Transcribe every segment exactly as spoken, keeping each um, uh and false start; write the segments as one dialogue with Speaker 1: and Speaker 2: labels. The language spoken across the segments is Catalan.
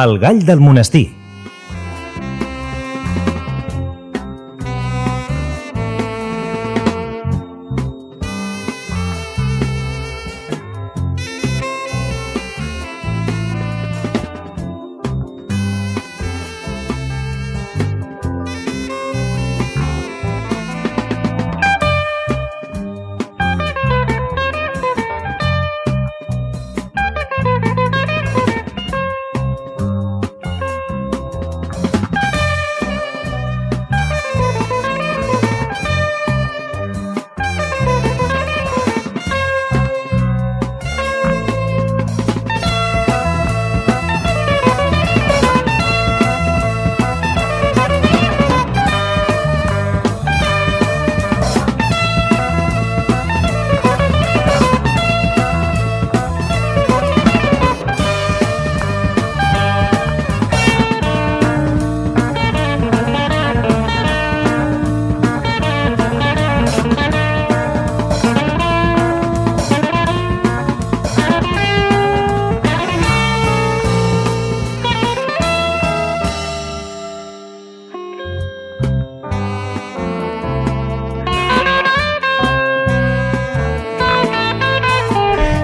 Speaker 1: El gall del monestir.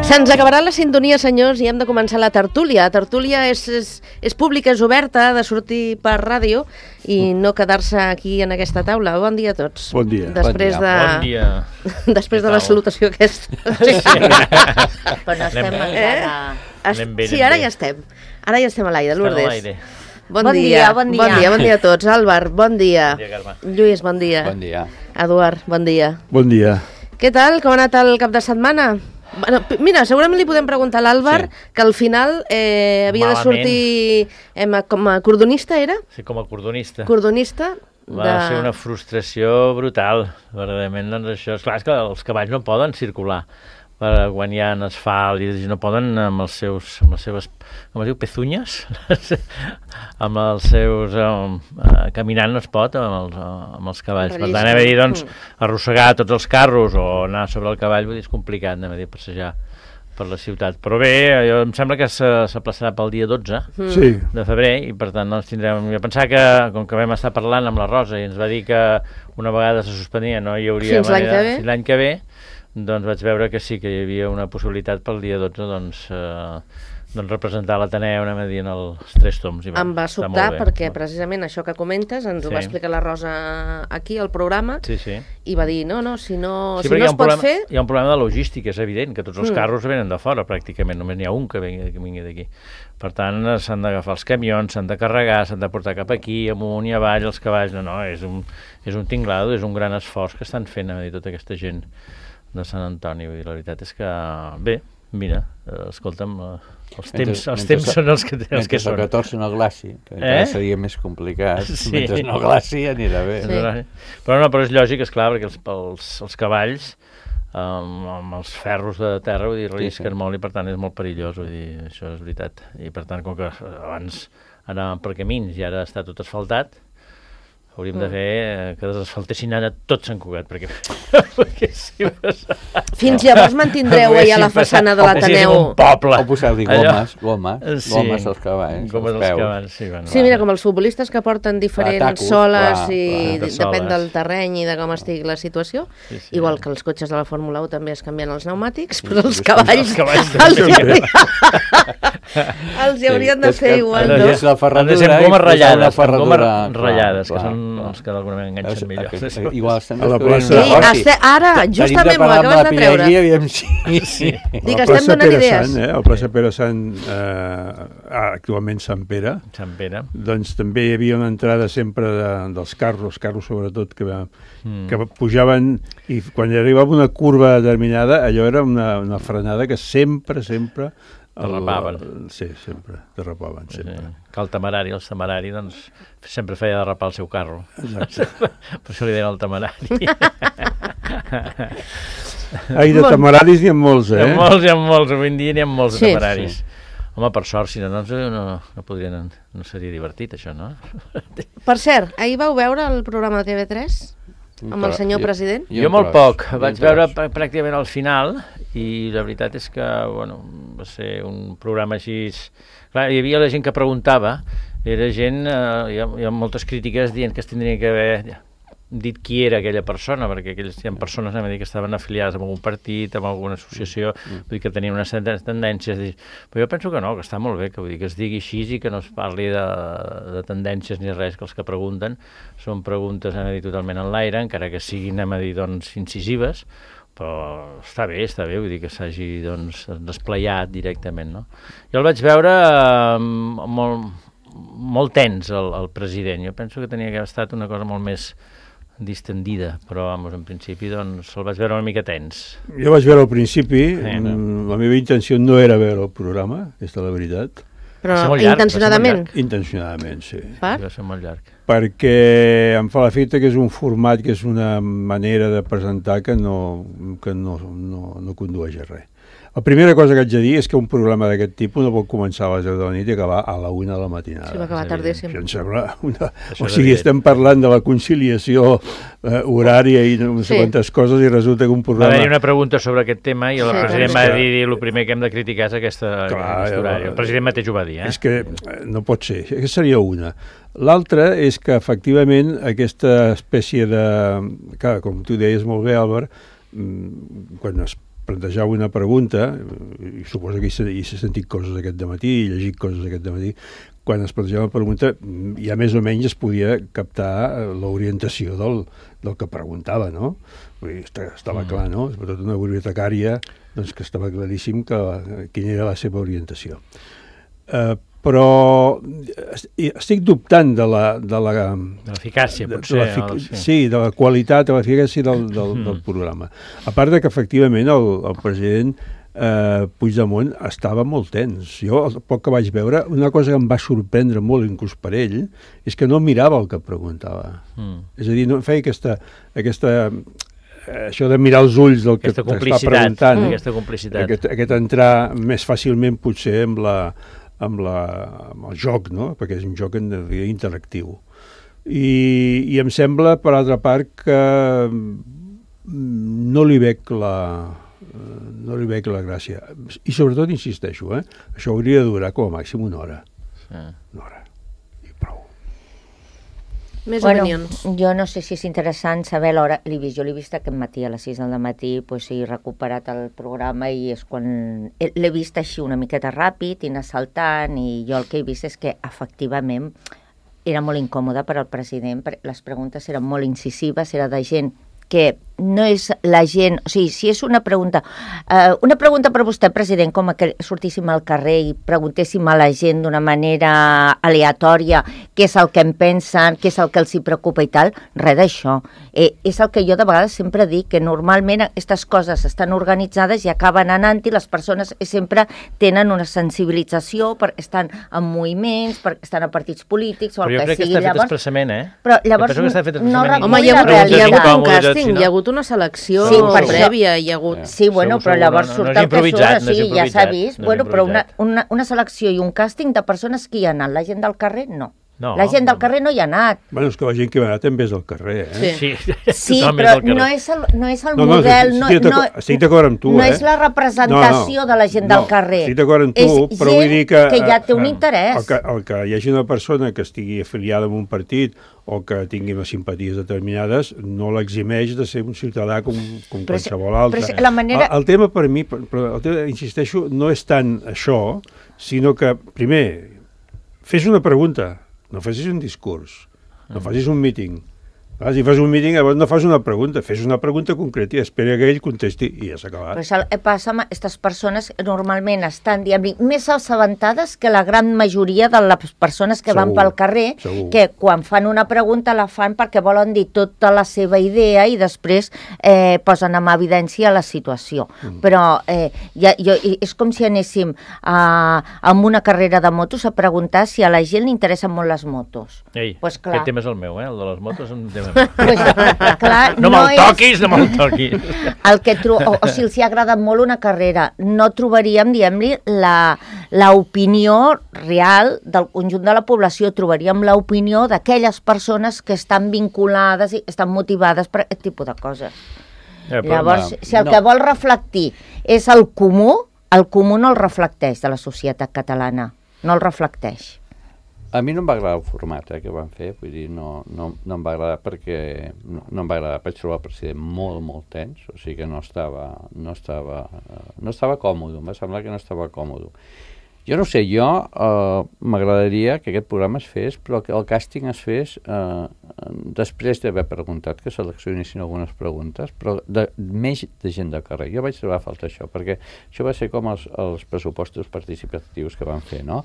Speaker 2: Se'ns acabarà la sintonia, senyors, i hem de començar la tertúlia. La tertúlia és, és, és pública, és oberta, ha de sortir per ràdio i no quedar-se aquí en aquesta taula. Bon dia a tots.
Speaker 3: Bon dia.
Speaker 2: Després
Speaker 4: bon dia.
Speaker 2: de,
Speaker 4: Bon dia.
Speaker 2: Després de la salutació aquesta.
Speaker 4: Sí.
Speaker 5: Però no estem
Speaker 4: Anem,
Speaker 5: encara...
Speaker 2: Es...
Speaker 4: Anem bé,
Speaker 2: Sí,
Speaker 4: anem
Speaker 2: ara
Speaker 4: bé.
Speaker 2: ja estem. Ara ja estem a l'aire,
Speaker 4: Estem a
Speaker 2: Lourdes.
Speaker 4: l'aire.
Speaker 2: Bon,
Speaker 5: Bon
Speaker 2: dia.
Speaker 5: dia, bon dia.
Speaker 2: Bon dia, bon dia a tots. Àlvar, bon dia.
Speaker 4: Bon dia, Carme.
Speaker 2: Lluís, bon dia.
Speaker 3: Bon dia.
Speaker 2: Eduard, bon dia.
Speaker 3: Bon dia.
Speaker 2: Què tal? Com ha anat el cap de setmana? Bueno, p- mira, segurament li podem preguntar a l'Àlvar,
Speaker 3: Sí.
Speaker 2: que al final eh, havia
Speaker 4: Malament.
Speaker 2: de sortir eh, com a cordonista, era?
Speaker 4: Sí, com a cordonista.
Speaker 2: Cordonista.
Speaker 4: Va
Speaker 2: de...
Speaker 4: ser una frustració brutal. Verdaderament, doncs això... Esclar, és que els cavalls no poden circular per quan hi ha asfalt i no poden amb els seus, amb les seves, com es diu, pezunyes, amb els seus, um, uh, caminant no es pot amb els, uh, amb els cavalls. Per tant, hem de dir, doncs, arrossegar tots els carros o anar sobre el cavall, vull dir, és complicat, anem a dir, passejar per la ciutat. Però bé, jo, em sembla que s'aplaçarà pel dia dotze
Speaker 3: Sí.
Speaker 4: de febrer i per tant doncs tindrem... Jo pensava que, com que vam estar parlant amb la Rosa i ens va dir que una vegada se suspenia no hi hauria
Speaker 2: Fins l'any
Speaker 4: manera...
Speaker 2: que ve.
Speaker 4: Fins l'any que ve, doncs vaig veure que sí que hi havia una possibilitat pel dia dotze doncs, eh, doncs representar l'Ateneu, anem a dir, en els tres toms. I
Speaker 2: Em va
Speaker 4: està
Speaker 2: sobtar
Speaker 4: molt bé.
Speaker 2: perquè precisament això que comentes ens ho
Speaker 4: Sí.
Speaker 2: va explicar la Rosa aquí al programa
Speaker 4: Sí, sí.
Speaker 2: i va dir, no, no, si no,
Speaker 4: Sí,
Speaker 2: si
Speaker 4: perquè
Speaker 2: no
Speaker 4: hi ha
Speaker 2: es
Speaker 4: un
Speaker 2: pot
Speaker 4: problema,
Speaker 2: fer...
Speaker 4: hi ha un problema de logística, és evident, que tots els
Speaker 2: Mm.
Speaker 4: carros venen de fora, pràcticament, només n'hi ha un que vingui, que vingui d'aquí. Per tant, eh, s'han d'agafar els camions, s'han de carregar, s'han de portar cap aquí, amunt i avall, els cavalls, no, no, és un, és un tinglado, és un gran esforç que estan fent, a dir, tota aquesta gent de Sant Antoni, vull dir, la veritat és que, bé, mira, eh, escolta'm, eh, els
Speaker 6: Mentre-
Speaker 4: temps, els
Speaker 6: mentre
Speaker 4: temps
Speaker 6: se-
Speaker 4: són els que, els que
Speaker 6: Mentre
Speaker 4: són.
Speaker 6: el catorze no glaci, que encara
Speaker 4: Eh?
Speaker 6: seria més complicat.
Speaker 4: Sí.
Speaker 6: Mentre no glaci anirà bé.
Speaker 2: Sí.
Speaker 4: Però no, però és lògic, esclar, perquè els, els, els cavalls amb, amb els ferros de terra, vull dir, rellisquen
Speaker 6: sí.
Speaker 4: molt i per tant és molt perillós, vull dir, això és veritat. I per tant, com que abans anàvem per camins i ara està tot asfaltat, hauríem de fer eh, que desasfaltessin ara tot Sant Cugat, perquè, perquè si passa...
Speaker 2: Fins llavors mantindreu allà la façana de l'Ateneu.
Speaker 4: un poble.
Speaker 6: O posar-li
Speaker 4: Allò-
Speaker 6: gomes, gomes,
Speaker 4: Sí.
Speaker 6: gomes als cavalls,
Speaker 4: Gomes
Speaker 6: als
Speaker 4: als
Speaker 6: peus.
Speaker 4: cavalls, sí, bueno.
Speaker 2: Sí, mira, com els futbolistes que porten diferents
Speaker 6: tacos,
Speaker 2: soles
Speaker 6: clar,
Speaker 2: i
Speaker 6: clar.
Speaker 2: de-
Speaker 4: De
Speaker 2: depèn
Speaker 4: soles.
Speaker 2: del terreny i de com estigui la situació.
Speaker 4: Sí, sí.
Speaker 2: Igual que els cotxes de la Fórmula u també es canvien els pneumàtics, però els
Speaker 6: sí,
Speaker 2: cavalls,
Speaker 4: els cavalls
Speaker 2: els, hi
Speaker 4: també.
Speaker 2: haurien, els hi haurien de
Speaker 6: és
Speaker 2: fer
Speaker 6: que
Speaker 2: igual,
Speaker 6: han
Speaker 2: no?
Speaker 6: de ser la ferradura
Speaker 4: Han de ser
Speaker 6: i
Speaker 4: gomes
Speaker 6: posar una
Speaker 4: ratllades, amb
Speaker 6: ferradura,
Speaker 4: gomes
Speaker 6: clar,
Speaker 4: ratllades, que
Speaker 6: clar,
Speaker 4: són
Speaker 6: clar.
Speaker 4: els que d'alguna manera enganxen
Speaker 6: És-
Speaker 4: millor.
Speaker 6: aquest- Igual estem
Speaker 3: A la
Speaker 6: descobrint
Speaker 3: plaça-
Speaker 6: un
Speaker 2: Sí,
Speaker 6: negoci.
Speaker 2: este, ara, justament m'ho acabes de treure.
Speaker 6: Aviam si...
Speaker 4: Sí.
Speaker 2: Dic,
Speaker 3: La
Speaker 2: estem
Speaker 3: plaça
Speaker 2: donant
Speaker 3: Pere
Speaker 2: idees.
Speaker 3: Sant, eh? El plaça Pere Sant, eh, actualment Sant Pere,
Speaker 4: Sant Pere.
Speaker 3: doncs també hi havia una entrada sempre de, dels carros, carros sobretot, que, va,
Speaker 4: Mm.
Speaker 3: que pujaven i quan hi arribava una curva determinada, allò era una, una frenada que sempre, sempre... el-
Speaker 4: Derrapaven.
Speaker 3: Sí, sempre, derrapaven, sempre.
Speaker 4: Sí. Que el temerari, el temerari, doncs, sempre feia derrapar el seu carro.
Speaker 3: Exacte.
Speaker 4: Per això li deien el temerari.
Speaker 3: Ai, de
Speaker 2: Bon.
Speaker 3: temeraris n'hi ha molts,
Speaker 4: Hi
Speaker 3: eh?
Speaker 4: ha molts, hi ha molts, avui en dia n'hi ha molts
Speaker 2: Sí.
Speaker 4: de temeraris. Home, per sort, si no, doncs no, no podrien, no seria divertit, això, no?
Speaker 2: Per cert, ahir vau veure el programa de T V tres amb el senyor president?
Speaker 4: Jo molt poc, vaig veure pr- pràcticament al final i la veritat és que, bueno, va ser un programa així... Clar, hi havia la gent que preguntava, era gent, eh, hi, ha, hi ha moltes crítiques dient que es tindria que haver dit qui era aquella persona, perquè aquelles hi ha persones a dir que estaven afiliades amb algun partit, amb alguna associació, vull dir que tenien unes tendències, però jo penso que no, que està molt bé, que vull dir que es digui així i que no es parli de, de tendències ni res, que els que pregunten són preguntes, a dir, totalment en l'aire, encara que siguin, a dir, doncs, incisives, però està bé, està bé, vull dir que s'hagi, doncs, desplayat directament, no? Jo el vaig veure eh, molt, molt tens, el, el president. Jo penso que tenia que haver estat una cosa molt més distendida, però, vamos, en principi, doncs, el vaig veure una mica tens.
Speaker 3: Jo vaig veure al principi,
Speaker 4: Eh, no.
Speaker 3: la meva intenció no era veure el programa, aquesta és la veritat.
Speaker 2: Però
Speaker 4: Va ser molt llarg,
Speaker 2: intencionadament.
Speaker 4: va ser
Speaker 3: Intencionadament, sí.
Speaker 2: Per?
Speaker 4: Va ser molt llarg.
Speaker 3: Perquè em fa l'efecte que és un format, que és una manera de presentar que no, que no, no, no condueix a res. La primera cosa que haig de dir és que un programa d'aquest tipus no pot començar a les deu de la nit i acabar a la una de la matinada.
Speaker 2: Sí, va acabar
Speaker 4: és
Speaker 2: tardíssim.
Speaker 3: Això em sembla una...
Speaker 4: Això
Speaker 3: O
Speaker 4: és
Speaker 3: sigui,
Speaker 4: evident.
Speaker 3: estem parlant de la conciliació eh, horària i no sé
Speaker 2: Sí.
Speaker 3: quantes coses i resulta que un
Speaker 4: Va
Speaker 3: programa...
Speaker 4: haver-hi una pregunta sobre aquest tema i el
Speaker 2: Sí,
Speaker 4: president
Speaker 3: també.
Speaker 4: va dir el primer que hem de criticar és aquesta,
Speaker 3: Clar,
Speaker 4: aquest horari.
Speaker 3: jo-
Speaker 4: El president mateix ho va dir, eh?
Speaker 3: És que eh, no pot ser, aquesta seria una. L'altra és que, efectivament, aquesta espècie de... Clar, com tu deies molt bé, Albert, mm, quan es plantejava una pregunta, i suposo que hi s'ha- hi s'ha sentit coses aquest dematí, i llegit coses aquest dematí, quan es plantejava una pregunta, mm, ja més o menys es podia captar eh, l'orientació del, del que preguntava, no? Vull dir, esta- estava
Speaker 4: Mm.
Speaker 3: clar, no? Sobretot una bibliotecària, doncs que estava claríssim que, quina era la seva orientació. Uh, però est- estic dubtant de la... De la
Speaker 4: De l'eficàcia,
Speaker 3: de- de
Speaker 4: potser.
Speaker 3: l'efic-
Speaker 4: o-
Speaker 3: sí, de la qualitat, de l'eficàcia del, del,
Speaker 4: Mm.
Speaker 3: del programa. A part de que, efectivament, el, el president eh, Puigdemont estava molt tens. Jo, el poc que vaig veure, una cosa que em va sorprendre molt, inclús per ell, és que no mirava el que preguntava.
Speaker 4: Mm.
Speaker 3: És a dir, no feia aquesta... aquesta eh, això de mirar els ulls del que
Speaker 4: Aquesta
Speaker 3: t'està
Speaker 4: complicitat,
Speaker 3: preguntant,
Speaker 4: aquesta complicitat.
Speaker 3: aquest, aquest entrar més fàcilment potser amb, la, amb, la, amb el joc, no? Perquè és un joc en realitat interactiu. I, I em sembla, per altra part, que mm, no li veig la, eh, no li veig la gràcia. I sobretot, insisteixo, eh? Això hauria de durar com a màxim una hora.
Speaker 4: Sí.
Speaker 3: Una hora. I prou.
Speaker 2: Més
Speaker 5: Bueno,
Speaker 2: opinions.
Speaker 5: jo no sé si és interessant saber l'hora, l'he vist, jo l'he vist aquest matí a les sis del matí, pues, he recuperat el programa i és quan l'he vist així una miqueta ràpid i anar saltant, i jo el que he vist és que efectivament era molt incòmode per al president, perquè les preguntes eren molt incisives, era de gent que no és la gent, o sigui, si és una pregunta, eh, una pregunta per vostè, president, com que sortíssim al carrer i preguntéssim a la gent d'una manera aleatòria què és el que en pensen, què és el que els hi preocupa i tal, res d'això. Eh, és el que jo de vegades sempre dic, que normalment aquestes coses estan organitzades i acaben anant i les persones sempre tenen una sensibilització perquè estan en moviments, perquè estan a partits polítics o
Speaker 4: Però
Speaker 5: el
Speaker 4: jo
Speaker 5: que
Speaker 4: crec que
Speaker 5: sigui.
Speaker 4: està fet
Speaker 5: Llavors,
Speaker 4: expressament, eh?
Speaker 5: però llavors
Speaker 4: Jo penso que està fet
Speaker 5: no
Speaker 4: expressament.
Speaker 5: recull
Speaker 2: Home, hi ha
Speaker 5: la
Speaker 2: hagut, hi ha hagut
Speaker 5: realitat.
Speaker 2: un
Speaker 4: incòmodes,
Speaker 2: càsting,
Speaker 4: si no-
Speaker 2: hi ha hagut una selecció
Speaker 5: Sí, per això-
Speaker 2: prèvia, hi ha hagut...
Speaker 5: Sí, bueno,
Speaker 4: Segur,
Speaker 5: però
Speaker 4: segur,
Speaker 5: llavors
Speaker 4: no- no
Speaker 5: surt
Speaker 4: és
Speaker 5: el que surt,
Speaker 4: improvisat, no és
Speaker 5: sí, ja s'ha
Speaker 4: improvisat,
Speaker 5: vist.
Speaker 4: no és
Speaker 5: Bueno, però una,
Speaker 4: improvisat.
Speaker 5: una, una selecció i un càsting de persones que hi ha anat. La gent del carrer, no.
Speaker 4: No,
Speaker 5: la gent del
Speaker 4: no.
Speaker 5: carrer no hi ha anat.
Speaker 3: Bueno, és que la gent que va anar també és del carrer, eh?
Speaker 2: Sí.
Speaker 4: Sí,
Speaker 5: Sí,
Speaker 4: totalment
Speaker 5: però
Speaker 4: del carrer.
Speaker 5: no és el, no és el
Speaker 3: No, no,
Speaker 5: model...
Speaker 3: estic-
Speaker 5: No,
Speaker 3: estic
Speaker 5: no,
Speaker 3: d'acord- estic d'acord amb tu,
Speaker 5: no
Speaker 3: eh?
Speaker 5: és la representació
Speaker 3: No, no.
Speaker 5: de la gent
Speaker 3: No,
Speaker 5: del carrer.
Speaker 3: estic d'acord amb tu,
Speaker 5: és
Speaker 3: però
Speaker 5: gent
Speaker 3: vull dir que...
Speaker 5: que ja té un
Speaker 3: eh,
Speaker 5: interès.
Speaker 3: El que, el que hi hagi una persona que estigui afiliada a un partit o que tingui unes simpaties determinades no l'eximeix de ser un ciutadà com, com
Speaker 5: Però si-
Speaker 3: qualsevol altre.
Speaker 5: però si la manera-
Speaker 3: el, el tema per mi, però el tema, insisteixo, no és tant això, sinó que, primer, fes una pregunta, no facis un discurs, no facis un míting. Ah, si fas un míting, llavors no fas una pregunta, fes una pregunta concreta i espera que ell contesti i ja s'ha acabat.
Speaker 5: Però això passa amb aquestes persones que normalment estan, diguem, més assabentades que la gran majoria de les persones que van
Speaker 3: Segur,
Speaker 5: pel carrer,
Speaker 3: segur.
Speaker 5: que quan fan una pregunta la fan perquè volen dir tota la seva idea i després eh, posen en evidència la situació. Mm. Però eh, ja, jo, és com si anéssim a, a una carrera de motos a preguntar si a la gent li interessen molt les motos.
Speaker 4: Ei,
Speaker 5: Pues clar.
Speaker 4: aquest tema és el meu, eh? El de les motos és un tema meu.
Speaker 5: Pues, clar,
Speaker 4: No
Speaker 5: no
Speaker 4: me'l
Speaker 5: és...
Speaker 4: toquis, no me'l toquis.
Speaker 5: El que tro o, o si els hi ha agradat molt una carrera, no trobaríem, diguem-li, l'opinió real del conjunt de la població, trobaríem l'opinió d'aquelles persones que estan vinculades i estan motivades per aquest tipus de coses.
Speaker 4: Eh, però,
Speaker 5: Llavors,
Speaker 6: no,
Speaker 5: si el
Speaker 6: no.
Speaker 5: que vol reflectir és el comú, el comú no el reflecteix de la societat catalana, no el reflecteix.
Speaker 6: A mi no em va agradar el format eh, que van fer, vull dir, no, no, no em va agradar perquè no, no em va agradar, vaig trobar el president molt, molt tens, o sigui que no estava, no estava, no estava còmode, em va semblar que no estava còmode. Jo no sé, jo eh, m'agradaria que aquest programa es fes, però que el càsting es fes eh, després d'haver preguntat, que seleccionessin algunes preguntes, però de, més de gent de carrer. Jo vaig trobar a falta això, perquè això va ser com els, els pressupostos participatius que van fer, no?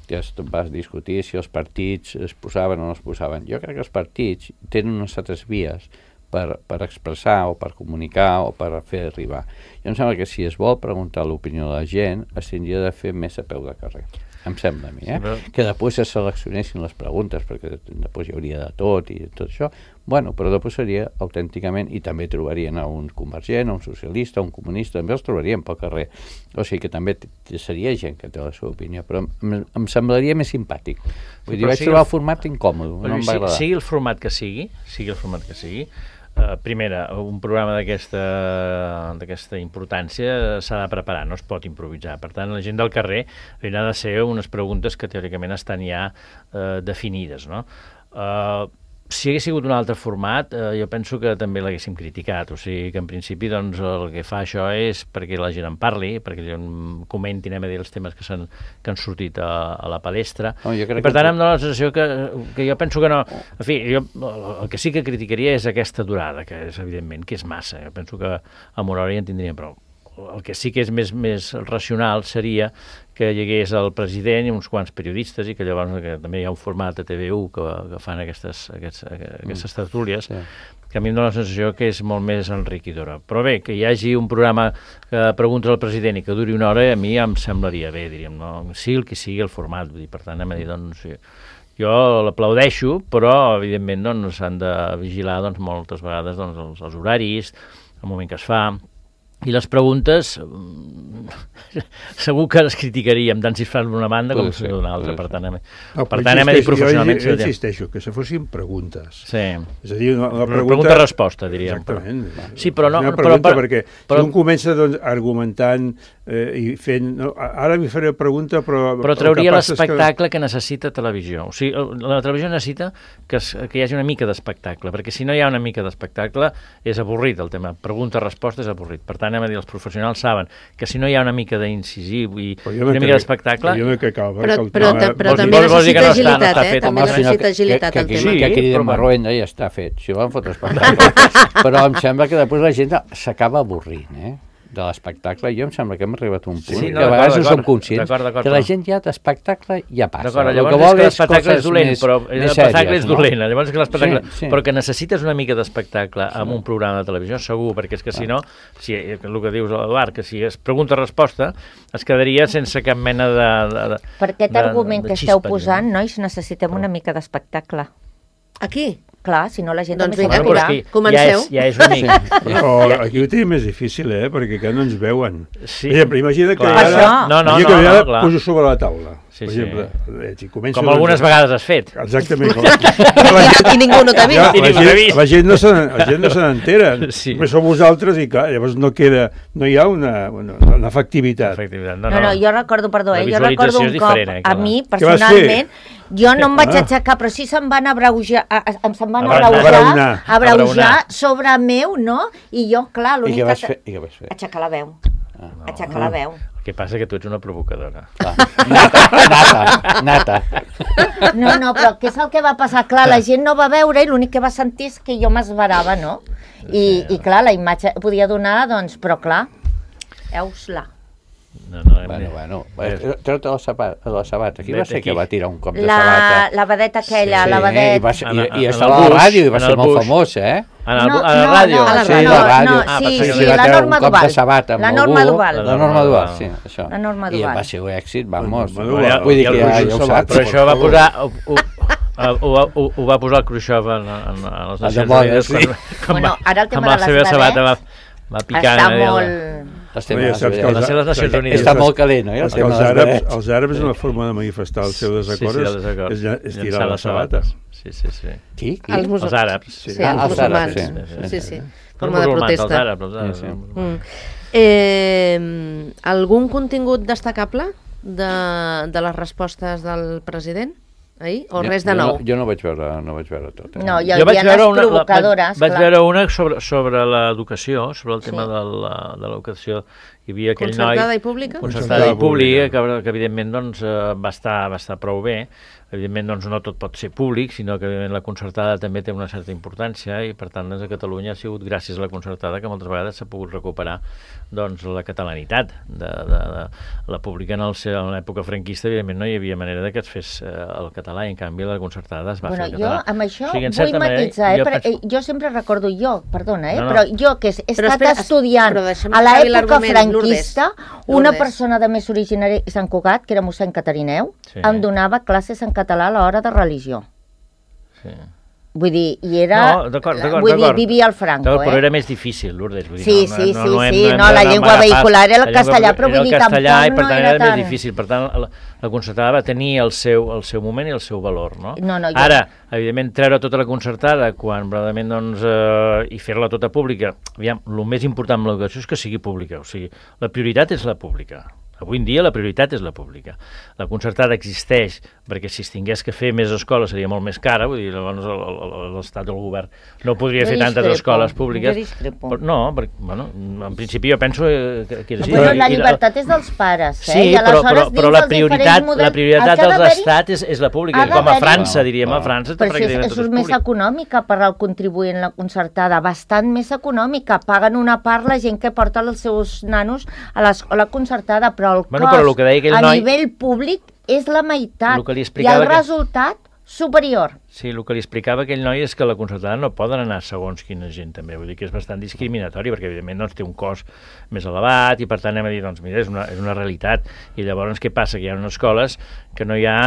Speaker 6: Que es va discutir si els partits es posaven o no es posaven. Jo crec que els partits tenen unes altres vies per, per expressar o per comunicar o per fer arribar. Jo em sembla que si es vol preguntar l'opinió de la gent, es tindria de fer més a peu de carrer. Em sembla a mi, eh? Sí, que després es seleccionessin les preguntes, perquè després hi hauria de tot i tot això. Bueno, però després seria autènticament, i també trobarien a un convergent, a un socialista, a un comunista, també els trobarien pel carrer. O sigui que també seria gent que té la seva opinió, però em, em semblaria més simpàtic. Vull dir, vaig trobar el format incòmode, no em va agradar.
Speaker 4: Sigui el format que sigui, sigui el format que sigui, Uh, primera, un programa d'aquesta d'aquesta importància s'ha de preparar, no es pot improvisar. Per tant, la gent del carrer haurà de ser unes preguntes que teòricament estan ja uh, definides, no? Uh, si hagués sigut un altre format, uh, jo penso que també l'haguéssim criticat, o sigui que en principi doncs, el que fa això és perquè la gent en parli, perquè la gent comenti, anem a dir, els temes que, han, que han sortit a, a la palestra.
Speaker 6: No,
Speaker 4: I per tant que... em dóna la sensació que, que jo penso que no... En fi, jo, el que sí que criticaria és aquesta durada, que és evidentment que és massa. Jo penso que amb una hora ja en tindríem prou. El que sí que és més, més racional seria que hi hagués el president i uns quants periodistes i que llavors que també hi ha un format de T V u que, que fan aquestes, aquests, aquestes tertúlies, sí, que a mi em dóna la sensació que és molt més enriquidora. Però bé, que hi hagi un programa que preguntes al president i que duri una hora, a mi ja em semblaria bé, diríem, no? Sí, el que sigui el format, vull dir, per tant, anem a dir, doncs, sí, jo l'aplaudeixo, però, evidentment, doncs, s'han de vigilar, doncs, moltes vegades, doncs, els, els horaris, el moment que es fa. I les preguntes, segur que les criticaríem, tant si es fan d'una banda com si es fa d'una altra. Per tant, anem,
Speaker 3: no,
Speaker 4: per tant, anem a dir professionalment...
Speaker 3: Jo, jo insisteixo, que se fossin preguntes.
Speaker 4: Sí.
Speaker 3: És a dir, una, una pregunta...
Speaker 4: Pregunta-resposta, diríem.
Speaker 3: Exactament.
Speaker 4: Sí, però no...
Speaker 3: Una pregunta,
Speaker 4: però,
Speaker 3: perquè
Speaker 4: però,
Speaker 3: si un comença doncs, argumentant eh, i fent... No, ara m'hi faré pregunta, però...
Speaker 4: Però trauria l'espectacle que... que necessita televisió. O sigui, la televisió necessita que, es, que hi hagi una mica d'espectacle, perquè si no hi ha una mica d'espectacle és avorrit el tema. Pregunta-resposta és avorrit. Per tant, anem a dir, els professionals saben que si no hi ha una mica d'incisiu i una mica d'espectacle...
Speaker 2: Però, però, però també necessita agilitat, eh? També necessita agilitat el tema.
Speaker 6: Que aquell de Marroenda ja està fet, si volen fotre espectacle. Però em sembla que després la gent s'acaba avorrint, eh? de l'espectacle. Jo em sembla que hem arribat a un punt sí, no, que a vegades no som conscients que la gent ja d'espectacle ja passa.
Speaker 4: El que vol és l'espectacle és dolent, però l'espectacle és dolent. Llavors que l'espectacle... Però que necessites una mica d'espectacle amb un programa de televisió, segur, perquè és que si no, si el que dius, Eduard, que si es pregunta-resposta, es quedaria sense cap mena de...
Speaker 5: Per aquest argument que esteu posant, nois, necessitem una mica d'espectacle.
Speaker 2: Aquí?
Speaker 5: Clar, si no la gent
Speaker 2: doncs
Speaker 5: també
Speaker 2: vinga,
Speaker 5: s'aturà.
Speaker 2: Comenceu.
Speaker 4: Ja és, ja és una mica.
Speaker 3: Sí. Oh, aquí ho tenim més difícil, eh? Perquè que no ens veuen.
Speaker 4: Sí.
Speaker 3: Exemple, imagina que
Speaker 4: clar.
Speaker 3: ara,
Speaker 4: no, no,
Speaker 3: imagina que
Speaker 4: no,
Speaker 3: ara
Speaker 4: no,
Speaker 3: poso sobre la taula.
Speaker 4: Sí,
Speaker 3: per exemple,
Speaker 4: sí.
Speaker 3: Si
Speaker 4: com algunes doncs, vegades has fet.
Speaker 3: Exactament.
Speaker 2: La gent, I ningú no t'ha vist.
Speaker 3: Ja, la, gent, la gent no se, la gent no se n'entera.
Speaker 4: Sí.
Speaker 3: Però sou vosaltres i clar, llavors no queda, no hi ha una, una, una efectivitat.
Speaker 4: efectivitat.
Speaker 5: No, no, no, jo recordo, perdó, eh, jo recordo un cop,
Speaker 4: eh,
Speaker 5: a mi, personalment, jo no em vaig aixecar, però sí se'm van abreujar, se'm van abreujar, abreujar sobre meu, no? I jo, clar, l'únic que...
Speaker 6: fer? I què vas fer?
Speaker 5: Aixecar la veu. Aixecar la veu.
Speaker 4: El que passa que tu ets una provocadora.
Speaker 6: Nata, nata, nata.
Speaker 5: No, no, però què és el que va passar? Clar, la gent no va veure i l'únic que va sentir és que jo m'esverava, no? I, i clar, la imatge podia donar, doncs, però clar, heus-la.
Speaker 4: No, no,
Speaker 6: bueno, bueno, treu-te la sabata, la sabata. Qui va ser que va tirar un cop de
Speaker 5: la,
Speaker 6: sabata?
Speaker 5: La vedeta aquella, sí, la vedeta.
Speaker 6: I, va ser, i, i estava a la ràdio i va ser molt famós, eh?
Speaker 4: A la, no, a la ràdio?
Speaker 5: No, no,
Speaker 6: sí, a la ràdio.
Speaker 5: No,
Speaker 6: ah,
Speaker 5: sí,
Speaker 6: sí,
Speaker 5: sí, la Norma Duval.
Speaker 6: La
Speaker 5: Norma Duval.
Speaker 6: La Norma Duval, sí, això.
Speaker 5: La Norma
Speaker 6: I
Speaker 5: Duval.
Speaker 6: va ser un èxit, vamos.
Speaker 3: Vull
Speaker 6: dir que ja ho saps.
Speaker 4: Però això va posar... Ho, ho, ho va posar el Khrushchev en, en, en les Nacions Unides
Speaker 6: sí.
Speaker 4: quan,
Speaker 5: bueno, ara el tema
Speaker 4: amb la seva sabata va, va picant
Speaker 5: està molt...
Speaker 6: Estem
Speaker 3: ja saps que
Speaker 4: les Nacions Unides
Speaker 6: està molt calent, no?
Speaker 3: Els, els, àrabs, els àrabs una forma de manifestar el seu desacord
Speaker 4: sí, sí,
Speaker 3: és, és tirar les sabates.
Speaker 4: Sí, sí, sí.
Speaker 6: Qui? Qui?
Speaker 2: Els,
Speaker 4: els àrabs.
Speaker 2: Sí, sí, els musulmans.
Speaker 6: Sí,
Speaker 2: sí, sí. forma de
Speaker 4: musulmans,
Speaker 2: protesta.
Speaker 4: els àrabs, els àrabs.
Speaker 6: Sí, sí.
Speaker 2: Mm. Eh, algun contingut destacable de, de les respostes del president ahir? O
Speaker 6: Jo-
Speaker 2: res de
Speaker 6: jo
Speaker 2: nou?
Speaker 6: No, jo no vaig veure, no vaig veure tot. Eh?
Speaker 5: No, hi
Speaker 4: Jo vaig
Speaker 5: havia
Speaker 4: veure
Speaker 5: les
Speaker 4: una, la, vaig,
Speaker 5: provocadores,
Speaker 4: vaig
Speaker 5: clar.
Speaker 4: veure una sobre, sobre l'educació, sobre el tema
Speaker 5: Sí.
Speaker 4: de la- de l'educació. Hi havia aquell
Speaker 2: Concertada
Speaker 4: noi...
Speaker 2: i pública?
Speaker 4: Concertada i
Speaker 3: Concertada
Speaker 4: pública,
Speaker 3: pública.
Speaker 4: que, que evidentment doncs, eh, va, estar, va estar prou bé. Evidentment doncs, no tot pot ser públic, sinó que evidentment la concertada també té una certa importància i per tant doncs, a Catalunya ha sigut gràcies a la concertada que moltes vegades s'ha pogut recuperar doncs, la catalanitat de, de, de la pública en, el, seu- en l'època franquista. Evidentment no hi havia manera de que es fes eh, el català i en canvi la concertada es va
Speaker 5: Bueno,
Speaker 4: fer el
Speaker 5: jo
Speaker 4: català.
Speaker 5: amb això
Speaker 4: O sigui, en
Speaker 5: vull
Speaker 4: certa manera,
Speaker 5: matitzar, eh?
Speaker 4: jo
Speaker 5: Però,
Speaker 4: penso-
Speaker 5: eh, jo sempre recordo, jo, perdona, eh?
Speaker 4: No, no.
Speaker 5: però jo que he
Speaker 2: Però
Speaker 5: estat
Speaker 2: espera, es-
Speaker 5: estudiant
Speaker 2: però deixa'm
Speaker 5: a
Speaker 2: acabi
Speaker 5: l'època
Speaker 2: l'argument,
Speaker 5: franquista,
Speaker 2: Lourdes.
Speaker 5: una
Speaker 2: Lourdes.
Speaker 5: persona de més originari de Sant Cugat, que era mossèn Catarineu,
Speaker 4: Sí.
Speaker 5: em donava classes en català a l'hora de religió.
Speaker 4: Sí.
Speaker 5: Vull dir, i era...
Speaker 4: No, d'acord, d'acord,
Speaker 5: Vull dir,
Speaker 4: d'acord.
Speaker 5: vivia al Franco,
Speaker 4: D'acord, però
Speaker 5: eh?
Speaker 4: era més difícil, Lourdes. Vull dir,
Speaker 5: Sí,
Speaker 4: no,
Speaker 5: sí,
Speaker 4: no,
Speaker 5: sí,
Speaker 4: no hem,
Speaker 5: sí,
Speaker 4: no hem
Speaker 5: no, la
Speaker 4: d'anar
Speaker 5: llengua
Speaker 4: a agafar-
Speaker 5: vehicular era el
Speaker 4: la llengua
Speaker 5: castellà, però
Speaker 4: era
Speaker 5: vull
Speaker 4: el
Speaker 5: dir,
Speaker 4: castellà,
Speaker 5: tampoc
Speaker 4: i per
Speaker 5: no
Speaker 4: tant
Speaker 5: era
Speaker 4: era
Speaker 5: tant.
Speaker 4: més difícil. Per tant, la, la concertada va tenir el seu, el seu moment i el seu valor, no?
Speaker 5: No, no, jo-
Speaker 4: Ara, evidentment, treure tota la concertada quan, verdaderament, doncs, eh, i fer-la tota pública, aviam, el més important amb l'educació és que sigui pública, o sigui, la prioritat és la pública. Avui en dia la prioritat és la pública. La concertada existeix perquè si es tingués que fer més escoles seria molt més cara, vull dir, llavors el- el- l'Estat o el govern no podria
Speaker 5: Jo
Speaker 4: fer tantes
Speaker 5: discrepo,
Speaker 4: escoles públiques.
Speaker 5: jo discrepo.
Speaker 4: Però, no, perquè, bueno, en principi jo penso eh, que, que és així.
Speaker 5: Bueno,
Speaker 4: I-
Speaker 5: la
Speaker 4: i
Speaker 5: llibertat és dels pares, eh?
Speaker 4: Sí,
Speaker 5: I
Speaker 4: però,
Speaker 5: aleshores
Speaker 4: però, però
Speaker 5: dins
Speaker 4: la
Speaker 5: dels
Speaker 4: prioritat,
Speaker 5: diferents models-
Speaker 4: la prioritat
Speaker 5: el que ha
Speaker 4: dels
Speaker 5: d'haver-hi-
Speaker 4: estats és, és la pública,
Speaker 5: ha
Speaker 4: com a
Speaker 5: d'haver-hi-
Speaker 4: França, diríem, a
Speaker 6: Clar.
Speaker 4: França
Speaker 5: Però
Speaker 4: pràcticament
Speaker 5: això és,
Speaker 4: tot
Speaker 5: això
Speaker 4: és
Speaker 5: és més
Speaker 4: públic.
Speaker 5: econòmica per al contribuent la concertada, bastant més econòmica. Paguen una part la gent que porta els seus nanos a l'escola concertada, però el
Speaker 4: Bueno,
Speaker 5: cost
Speaker 4: però el que deia aquell
Speaker 5: a
Speaker 4: noi-
Speaker 5: nivell públic és la meitat.
Speaker 4: El que li
Speaker 5: I
Speaker 4: explicava
Speaker 5: el
Speaker 4: que-
Speaker 5: resultat superior.
Speaker 4: Sí, el que li explicava aquell noi és que la concertada no poden anar segons quina gent també, vull dir que és bastant discriminatori perquè evidentment doncs, té un cost més elevat i per tant hem de dir, doncs mira, és una, és una realitat i llavors què passa? Que hi ha unes escoles que no hi ha,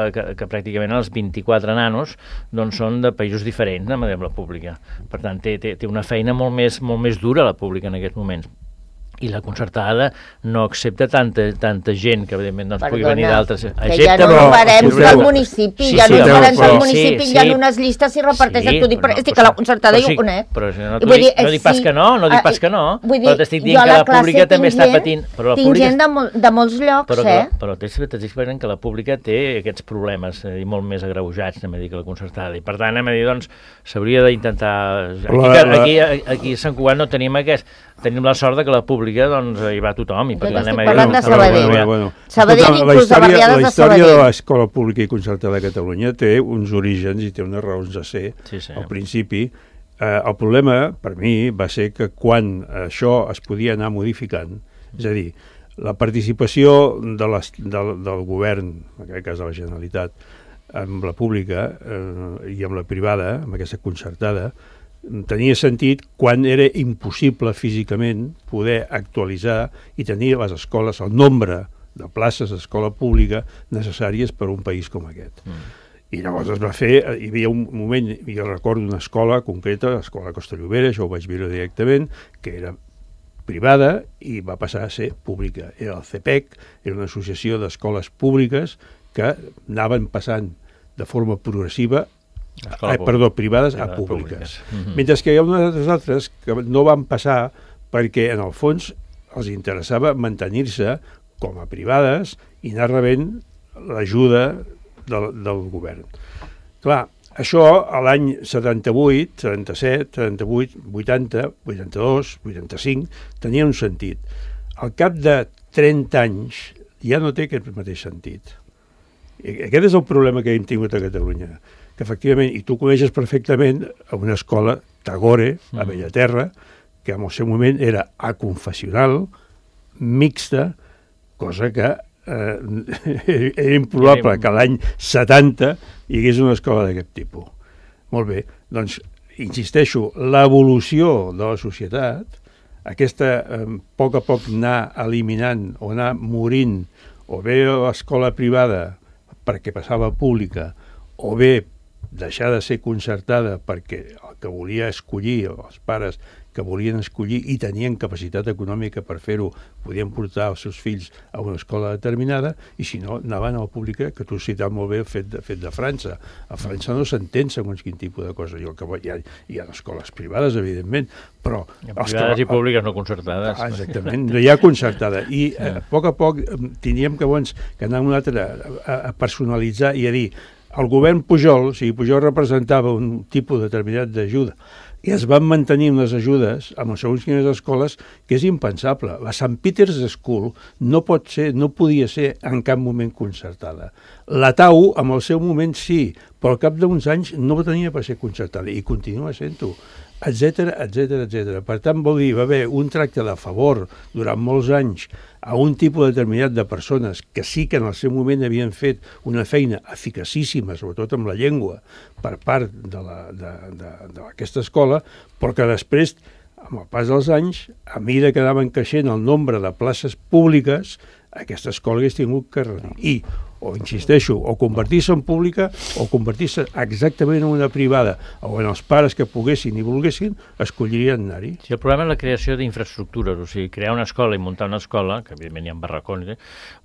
Speaker 4: eh, que, que pràcticament els vint-i-quatre nanos doncs són de països diferents amb la pública, per tant té, té, té una feina molt més, molt més dura la pública en aquests moments. I la concertada no accepta tanta, tanta gent que evidentment doncs, pugui venir d'altres.
Speaker 5: que ja no
Speaker 3: però-
Speaker 5: ho farem
Speaker 3: escolteu,
Speaker 5: del municipi,
Speaker 4: sí,
Speaker 5: ja
Speaker 4: sí,
Speaker 5: no ho
Speaker 3: escolteu,
Speaker 5: farem del
Speaker 3: però-
Speaker 5: municipi,
Speaker 4: sí,
Speaker 5: hi ha
Speaker 4: sí.
Speaker 5: unes llistes i reparteixen.
Speaker 4: Sí,
Speaker 5: T'ho dic, però
Speaker 4: però
Speaker 5: estic
Speaker 4: no,
Speaker 5: a la
Speaker 4: però-
Speaker 5: concertada i
Speaker 4: però
Speaker 5: ho
Speaker 4: sí,
Speaker 5: conec.
Speaker 4: però si no
Speaker 5: I
Speaker 4: t'ho
Speaker 5: vull
Speaker 4: dic-
Speaker 5: dir,
Speaker 4: no dic pas
Speaker 5: sí,
Speaker 4: que no, no dic
Speaker 5: eh,
Speaker 4: pas que no,
Speaker 5: vull
Speaker 4: però t'estic dient
Speaker 5: jo a
Speaker 4: que la
Speaker 5: classe
Speaker 4: pública també
Speaker 5: tinc
Speaker 4: està
Speaker 5: gent-
Speaker 4: patint, però la
Speaker 5: tinc
Speaker 4: pública-
Speaker 5: gent de, mol, de molts llocs,
Speaker 4: Però,
Speaker 5: eh?
Speaker 4: que, però t'estic dient que la pública té aquests problemes eh, i molt més agreujats, anem a dir, que la concertada. I per tant, anem a dir, doncs, s'hauria d'intentar... Aquí,
Speaker 3: La- la-
Speaker 4: aquí, aquí a Sant Cugat no tenim aquest... Tenim la sort de que la pública, doncs, hi va tothom. I per
Speaker 5: Jo
Speaker 4: tant,
Speaker 5: estic
Speaker 4: anem a dir,
Speaker 5: parlant de
Speaker 4: doncs,
Speaker 5: Sabadell.
Speaker 3: Bueno, bueno.
Speaker 5: Sabadell,
Speaker 3: Escolta, la
Speaker 5: inclús de
Speaker 3: història,
Speaker 5: barriades
Speaker 3: la
Speaker 5: de
Speaker 3: història de
Speaker 5: Sabadell.
Speaker 3: l'escola pública i concertada de Catalunya té uns orígens i té unes raons de ser.
Speaker 4: Sí, sí.
Speaker 3: Al principi, eh, el problema, per mi, va ser que quan això es podia anar modificant, és a dir, la participació de les, del, del govern, en aquest cas de la Generalitat, amb la pública eh, i amb la privada, amb aquesta concertada, tenia sentit quan era impossible físicament poder actualitzar i tenir les escoles, el nombre de places d'escola pública necessàries per a un país com aquest. Mm. I llavors es va fer, hi havia un moment, jo recordo una escola concreta, l'escola Costa Llobera, això ho vaig veure directament, que era privada i va passar a ser pública. Era el C P E C, era una associació d'escoles públiques que anaven passant de forma progressiva
Speaker 4: Escola
Speaker 3: Ah, perdó, privades a
Speaker 4: Privades
Speaker 3: públiques.
Speaker 4: públiques. Mhm.
Speaker 3: Mentre que hi ha unes altres que no van passar perquè en el fons els interessava mantenir-se com a privades i anar rebent l'ajuda del, del govern. Clar, això a l'any setanta-vuit, setanta-set, setanta-vuit, vuitanta, vuitanta-dos, vuitanta-cinc, tenia un sentit. Al cap de trenta anys ja no té aquest mateix sentit. I aquest és el problema que hem tingut a Catalunya, que efectivament, i tu coneixes perfectament, a una escola Tagore, a Bellaterra, que en el seu moment era aconfessional, mixta, cosa que eh, era improbable que l'any setanta hi hagués una escola d'aquest tipus. Molt bé, doncs, insisteixo, l'evolució de la societat, aquesta eh, a poc a poc anar eliminant o anar morint, o bé l'escola privada perquè passava a pública, o bé deixar de ser concertada perquè el que volia escollir els pares que volien escollir i tenien capacitat econòmica per fer-ho, podien portar els seus fills a una escola determinada, i si no, anaven a la pública, que tu has citat molt bé el fet de, fet de França. A França no s'entén segons quin tipus de cosa. Jo, que hi ha, hi ha escoles privades, evidentment, però...
Speaker 4: Privades que, i públiques no concertades.
Speaker 3: Ah, exactament, no hi ha concertada. I a poc a poc teníem que, bons, que anar un altre a, a personalitzar i a dir el govern Pujol, o sigui, Pujol representava un tipus determinat d'ajuda i es van mantenir les ajudes amb segons quines escoles, que és impensable. La Saint Peter's School no pot ser, no podia ser en cap moment concertada. La T A U, en el seu moment, sí, però al cap d'uns anys no tenia per ser concertada i continua sent-ho, etcètera, etcètera, etcètera. Per tant, vol dir, va haver un tracte de favor durant molts anys a un tipus determinat de persones que sí que en el seu moment havien fet una feina eficacíssima, sobretot amb la llengua, per part d'aquesta escola, però que després, amb el pas dels anys, a mesura que anaven creixent el nombre de places públiques, aquesta escola hagués tingut que reduir. I o insisteixo, o convertir-se en pública o convertir-se exactament en una privada, o en els pares que poguessin i volguessin, escollirien anar-hi.
Speaker 4: Sí, el problema és la creació d'infraestructures, o sigui, crear una escola i muntar una escola, que evidentment hi ha barracons, eh?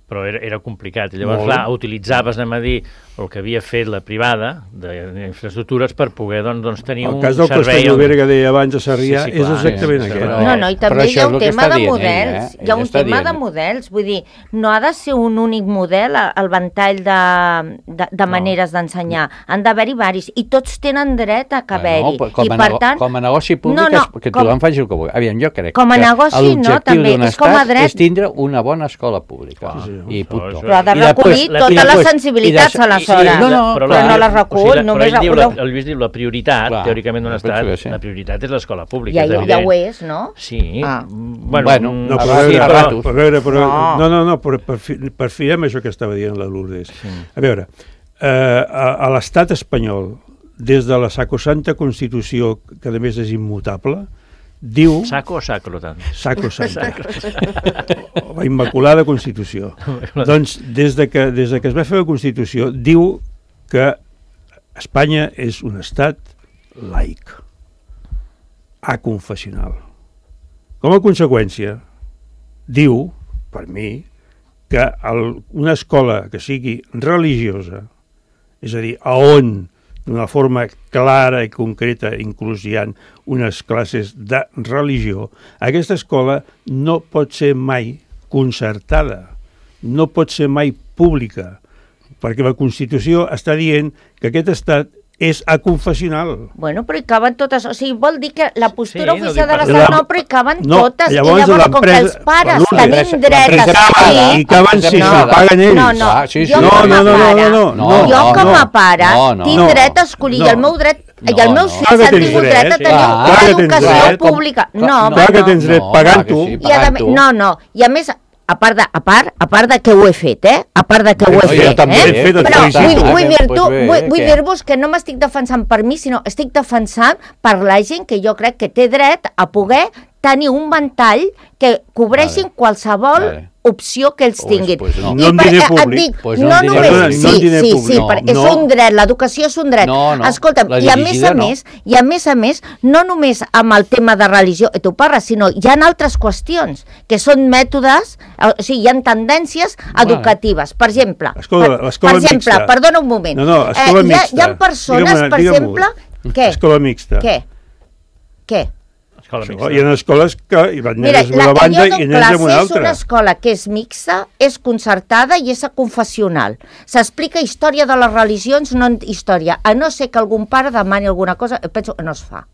Speaker 4: Però era, era complicat. I llavors, Molt. clar, utilitzaves, anem a dir, el que havia fet la privada d'infraestructures per poder doncs, doncs tenir un servei...
Speaker 3: El cas del Castell Llobera que deia abans a Sarrià sí, sí, és exactament sí, aquest.
Speaker 5: Però, no, no, i també hi ha un tema de models. Ell, eh? Hi ha un tema de models. Vull dir, no ha de ser un únic model el ventall de, de, de maneres no. d'ensenyar. Han d'haver-hi varis. I tots tenen dret a haver-hi.
Speaker 6: No, com,
Speaker 5: I per tant,
Speaker 6: com a negoci públic, no, no, que tothom com, faci el que vulgui. Aviam, jo crec
Speaker 5: com a
Speaker 6: que
Speaker 5: negoci,
Speaker 6: l'objectiu
Speaker 5: no,
Speaker 6: d'un estat és tindre una bona escola pública. Sí, sí, I punt.
Speaker 5: Però ha de recollir totes les sensibilitats, aleshores.
Speaker 6: No, no,
Speaker 5: però no les recull, només...
Speaker 4: El Lluís diu la prioritat, teòricament d'un estat, la prioritat és l'escola pública.
Speaker 5: Ja ho és, no?
Speaker 4: Sí.
Speaker 6: Bueno,
Speaker 3: no, però no, no, no, per firem això que estava dient la Lourdes. A veure, a l'estat espanyol, des de la sacrosanta Constitució, que a més és immutable, diu...
Speaker 4: Saco o sacrotant?
Speaker 3: Sacrosanta. La Immaculada Constitució. Doncs, des de, que, des de que es va fer la Constitució, diu que Espanya és un estat laic, aconfessional. Com a conseqüència, diu, per mi, que el, una escola que sigui religiosa, és a dir, a on d'una forma clara i concreta, inclús hi ha unes classes de religió, aquesta escola no pot ser mai concertada, no pot ser mai pública, perquè la Constitució està dient que aquest estat és aconfessional.
Speaker 5: Bueno, però hi caben totes, o sigui, vol dir que la postura sí, oficial no de l'estat no, però hi caben no, totes, llavors, i llavors com que els pares bueno, tenim dret a escollir...
Speaker 3: I caben si no, s'ho paguen ells.
Speaker 5: No, no,
Speaker 6: ah, sí, sí.
Speaker 5: jo
Speaker 3: no,
Speaker 5: com a
Speaker 3: no, no,
Speaker 5: pare,
Speaker 3: no, no, no,
Speaker 5: jo com a pare
Speaker 6: no, no,
Speaker 5: tinc
Speaker 6: no,
Speaker 5: dret a escollir,
Speaker 3: no,
Speaker 5: i el meu dret,
Speaker 6: no,
Speaker 5: i els meus fills
Speaker 3: no,
Speaker 5: han tingut dret a tenir una educació pública. No,
Speaker 3: clar que tens dret pagant-ho.
Speaker 5: No, no, i a més... A part, de, a, part, a part de que ho he fet, eh? A part de que ho he fet,
Speaker 3: jo també
Speaker 5: eh?
Speaker 3: he fet,
Speaker 5: però vull, vull dir-vos
Speaker 6: pues
Speaker 5: vull, vull dir-vos que no m'estic defensant per mi, sinó estic defensant per la gent que jo crec que té dret a poder tenir un ventall que cobreixin vale. qualsevol vale. opció que ells tinguin.
Speaker 6: Pues, pues no.
Speaker 3: No en diner públic.
Speaker 5: Dic,
Speaker 6: pues
Speaker 5: no,
Speaker 6: no,
Speaker 5: només,
Speaker 6: no,
Speaker 5: sí,
Speaker 3: no
Speaker 5: sí, sí, sí,
Speaker 3: no,
Speaker 5: és
Speaker 3: no.
Speaker 5: un dret, l'educació és un dret.
Speaker 6: No, no,
Speaker 5: escolta'm, i a més a
Speaker 6: no.
Speaker 5: més, i a més a més, no només amb el tema de religió, tu parles, sinó hi ha altres qüestions, que són mètodes, o sigui, hi ha tendències educatives. Per exemple,
Speaker 3: escola,
Speaker 5: per,
Speaker 3: escola
Speaker 5: per exemple,
Speaker 3: mixta.
Speaker 5: perdona un moment.
Speaker 3: No, no, escola
Speaker 5: eh, hi, ha, hi ha
Speaker 3: mixta.
Speaker 5: persones, per exemple... Què?
Speaker 3: Escola mixta.
Speaker 5: Què? Què?
Speaker 4: Escola
Speaker 3: Hi ha escoles que hi van
Speaker 5: Mira,
Speaker 3: nens d'una banda i nens d'una altra.
Speaker 5: És una escola que és mixta, és concertada i és confessional. S'explica història de les religions, no història. A no ser que algun pare demani alguna cosa, penso que no es fa.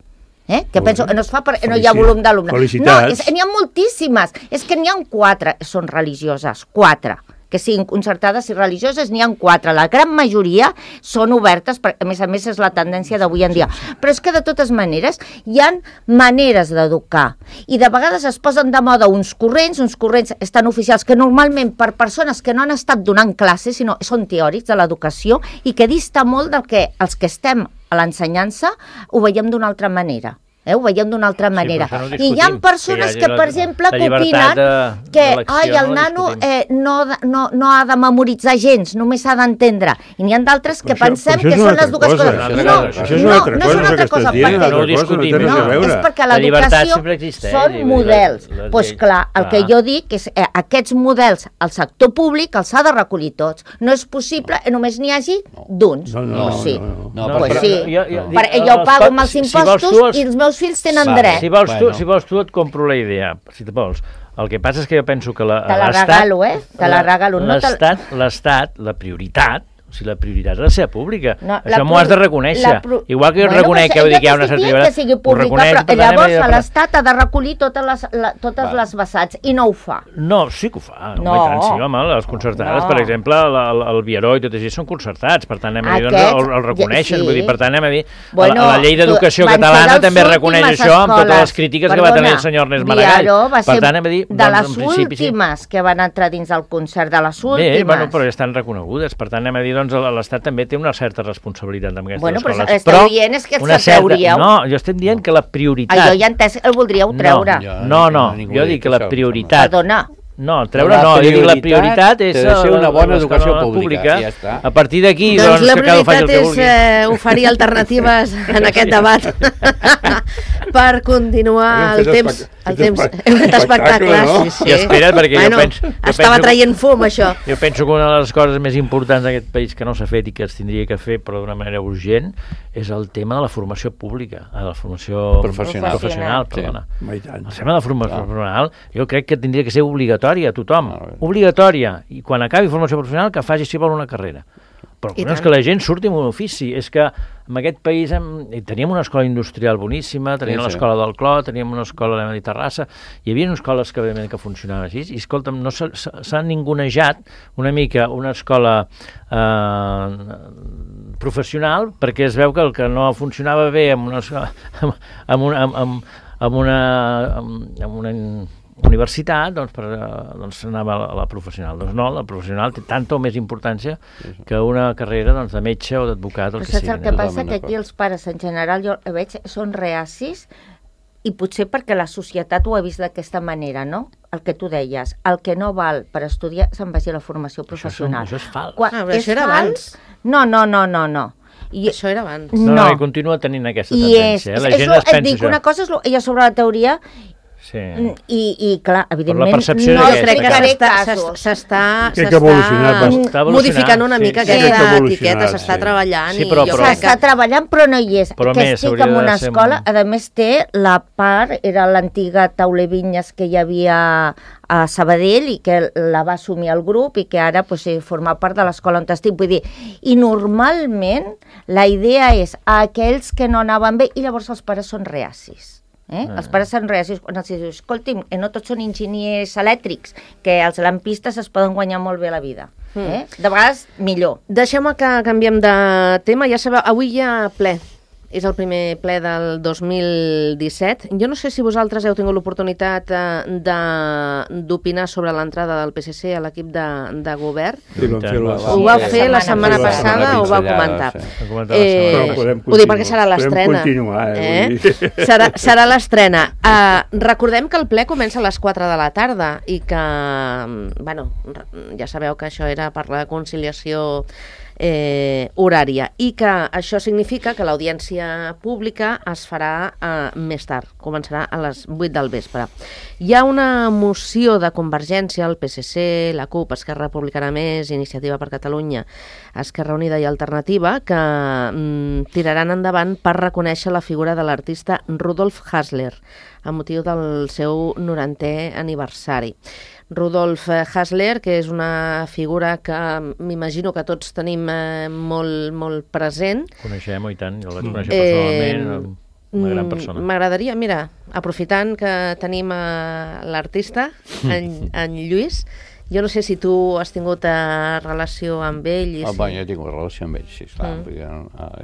Speaker 5: Eh? Que penso que no es fa perquè no hi ha volum d'alumnes.
Speaker 3: Felicitats.
Speaker 5: No, n'hi ha moltíssimes. És que n'hi ha quatre, són religioses, quatre. Que siguin concertades i religioses, n'hi ha quatre. La gran majoria són obertes, perquè a més a més és la tendència d'avui en dia. Però és que de totes maneres hi ha maneres d'educar. I de vegades es posen de moda uns corrents, uns corrents estan oficials, que normalment per persones que no han estat donant classes, sinó són teòrics de l'educació, i que dista molt del que els que estem a l'ensenyança ho veiem d'una altra manera. Eh? Ho veiem d'una altra manera.
Speaker 4: Sí, no
Speaker 5: I hi ha persones que, que per exemple, que opinen de, que ai, el no nano eh, no, no, no ha de memoritzar gens, només s'ha d'entendre. I n'hi ha d'altres que això, pensem que són les dues coses.
Speaker 3: No, no, això és una altra cosa, no és una altra cosa.
Speaker 4: No ho discutim.
Speaker 5: No, és perquè l'educació són models. Doncs clar, el que jo dic és que aquests models al sector públic els ha de recollir tots. No és possible que només n'hi hagi d'uns.
Speaker 3: No, no,
Speaker 5: sí.
Speaker 3: no.
Speaker 5: Pues sí. Jo ho pago amb els impostos i els meus fills tenen dret.
Speaker 4: Si vols tu, si vols tu et compro la idea, si te vols. El que passa és que jo penso que la,
Speaker 5: te la regalo, eh? Te la regalo.
Speaker 4: L'estat, l'estat, la prioritat, o sigui, la prioritat ha de ser pública. No, això m'ho has de reconèixer. Pro... Igual que jo bueno, reconec que, que hi ha una certa
Speaker 5: llibertat. Que sigui pública, però llavors l'Estat ha de recollir totes les, la, totes Va. les vessants, i no ho fa.
Speaker 4: No, sí que ho fa. No, no tant, sí, home, les concertades, no. Per exemple, el, el Vieró i tot això són concertats, per tant, anem a dir, doncs, el, el reconeixen, sí. Vull dir, per tant, anem a dir, bueno, la, la llei d'educació catalana també reconeix això, amb totes les crítiques Perdona, que va tenir el senyor Ernest Maragall.
Speaker 5: Va ser per tant, anem a dir, de les últimes que van entrar dins del concert, de les últimes.
Speaker 4: Bé, bueno, però ja estan reconegudes, per tant, anem a dir, doncs, l'Estat també té una certa responsabilitat amb aquestes
Speaker 5: bueno,
Speaker 4: escoles.
Speaker 5: Bueno, però esteu dient és que se trauríeu.
Speaker 4: No, jo estem dient que la prioritat...
Speaker 5: Ah, jo ja he entès que el voldríeu treure.
Speaker 4: No, no, no jo dic que la prioritat...
Speaker 5: Perdona.
Speaker 4: No, treure no, jo dic la prioritat és
Speaker 6: de ser una bona educació pública. Ja està.
Speaker 4: A partir d'aquí,
Speaker 2: doncs,
Speaker 4: doncs,
Speaker 2: la
Speaker 4: que cada faci el que
Speaker 2: vulgui. La prioritat és eh, oferir alternatives en aquest debat per continuar el temps. El temps. Hem fet espectacles, no? Sí, sí.
Speaker 4: I espera't, perquè
Speaker 2: bueno,
Speaker 4: jo penso... Jo
Speaker 2: estava
Speaker 4: penso,
Speaker 2: traient fum, això.
Speaker 4: Jo penso que una de les coses més importants d'aquest país que no s'ha fet i que es tindria que fer, però d'una manera urgent, és el tema de la formació pública, de la formació
Speaker 6: professional.
Speaker 4: professional perdona.
Speaker 3: Sí.
Speaker 4: El tema de la formació professional jo crec que tindria que ser obligatòria a tothom. Obligatòria. I quan acabi formació professional que faci si vol una carrera. Però no és que la gent surti amb un ofici, és que en aquest país hem, teníem una escola industrial boníssima, teníem sí, sí. l'escola del Clot, teníem una escola de Terrassa, hi havia escoles que, que funcionaven així, i escolta'm, no s'ha ningunejat una mica una escola eh, professional, perquè es veu que el que no funcionava bé amb una, amb una, amb, amb una, amb una universitat, doncs, per, doncs anava a la, a la professional. Doncs no, la professional té tanta o més importància que una carrera doncs, de metge o d'advocat o el que sigui.
Speaker 5: Saps el que passa? Que aquí els pares en general, jo veig, són reacis i potser perquè la societat ho ha vist d'aquesta manera, no? El que tu deies, el que no val per estudiar se'n vagi a la formació professional.
Speaker 4: Això, això és fals.
Speaker 2: Quan ah, però això era abans.
Speaker 5: No, no, no, no, no.
Speaker 2: I això era abans.
Speaker 4: No, no, no, i continua tenint aquesta tendència.
Speaker 5: És,
Speaker 4: la gent
Speaker 5: això,
Speaker 4: es pensa
Speaker 5: dic,
Speaker 4: això.
Speaker 5: Una cosa és lo, ja sobre la teoria.
Speaker 4: Sí.
Speaker 5: I, i clar, evidentment
Speaker 2: no, crec que s'està modificant una mica sí. aquesta etiqueta, s'està sí. treballant
Speaker 4: sí, però,
Speaker 2: i jo
Speaker 4: però,
Speaker 5: s'està que... treballant però no hi és
Speaker 4: però
Speaker 5: que
Speaker 4: més,
Speaker 5: estic en una escola, un... a més té la part, era l'antiga Taule Vinyes que hi havia a Sabadell i que la va assumir el grup i que ara pues, forma part de l'escola on estic, vull dir, i normalment la idea és a aquells que no anaven bé i llavors els pares són reacis. Eh? Ah. Els pares són reacis quan els dius, escolti'm, no tots són enginyers elèctrics, que els lampistes es poden guanyar molt bé la vida. Mm. Eh? De vegades, millor.
Speaker 2: Deixem que canviem de tema. Ja sabeu, avui hi ha ple. És el primer ple del dos mil disset. Jo no sé si vosaltres heu tingut l'oportunitat d'opinar sobre l'entrada del P S C a l'equip de, de govern.
Speaker 3: Sí,
Speaker 2: ho vau fer la setmana passada, ho vau comentar. Eh, ho dic perquè serà l'estrena. Eh? Serà, serà l'estrena. Uh, recordem que el ple comença a les quatre de la tarda i que, bueno, ja sabeu que això era per la conciliació Eh, horària i que això significa que l'audiència pública es farà eh, més tard, començarà a les vuit del vespre. Hi ha una moció de Convergència, el P S C, la CUP, Esquerra Republicana Més, Iniciativa per Catalunya, Esquerra Unida i Alternativa, que mm, tiraran endavant per reconèixer la figura de l'artista Rudolf Hasler a motiu del seu norantè aniversari. Rudolf Hasler, que és una figura que m'imagino que tots tenim eh, molt, molt present.
Speaker 4: Coneixem, i tant, jo el vaig conèixer personalment, eh, una gran persona.
Speaker 2: M'agradaria, mira, aprofitant que tenim eh, l'artista, en, en Lluís, jo no sé si tu has tingut eh, relació amb ell. I
Speaker 6: oh,
Speaker 2: si...
Speaker 6: bueno, jo he tingut relació amb ell, sí, clar, mm. perquè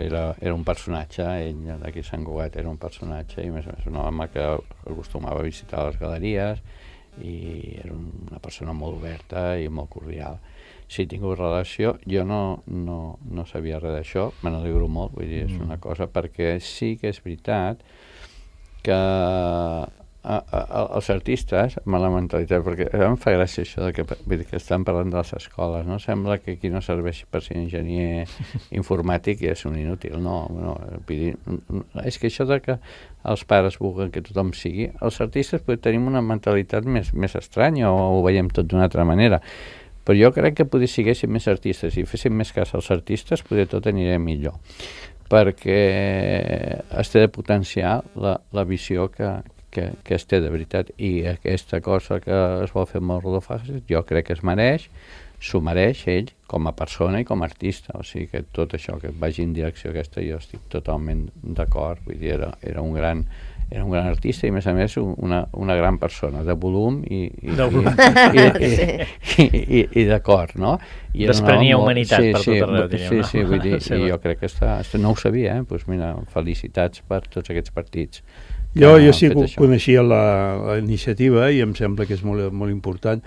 Speaker 6: era, era un personatge, ell d'aquí a Sant Cugat era un personatge, i més o menys un home que acostumava a visitar les galeries, i era una persona molt oberta i molt cordial. Si he tingut relació, jo no, no, no sabia res d'això, me n'alegro molt, vull dir, és una cosa, perquè sí que és veritat que a, a, els artistes, amb la mentalitat, perquè em fa gràcia això de que, vull dir, que estan parlant de les escoles, no? Sembla que aquí no serveix per ser enginyer informàtic i és un inútil, no, no, vull dir, és que això de que els pares vulguin que tothom sigui, els artistes pues, tenim una mentalitat més, més estranya o ho veiem tot d'una altra manera, però jo crec que potser siguéssim més artistes i féssim més cas als artistes, potser tot aniria millor, perquè es té de potenciar la, la visió que Que, que es té de veritat, i aquesta cosa que es vol fer amb el Rodolfo Hages jo crec que es mereix, s'ho mereix ell com a persona i com a artista, o sigui que tot això que vagi en direcció aquesta jo estic totalment d'acord, vull dir, era, era un gran era un gran artista i a més a més una, una gran persona de volum i, i, i, i, i, i, i, i d'acord, no? I
Speaker 4: desprenia humanitat
Speaker 6: sí,
Speaker 4: per
Speaker 6: sí,
Speaker 4: tot arreu, diríem,
Speaker 6: sí,
Speaker 4: no?
Speaker 6: sí, vull dir, i jo crec que està, no ho sabia, eh? Pues mira, felicitats per tots aquests partits.
Speaker 3: Jo, jo sí que coneixia la, la iniciativa i em sembla que és molt, molt important.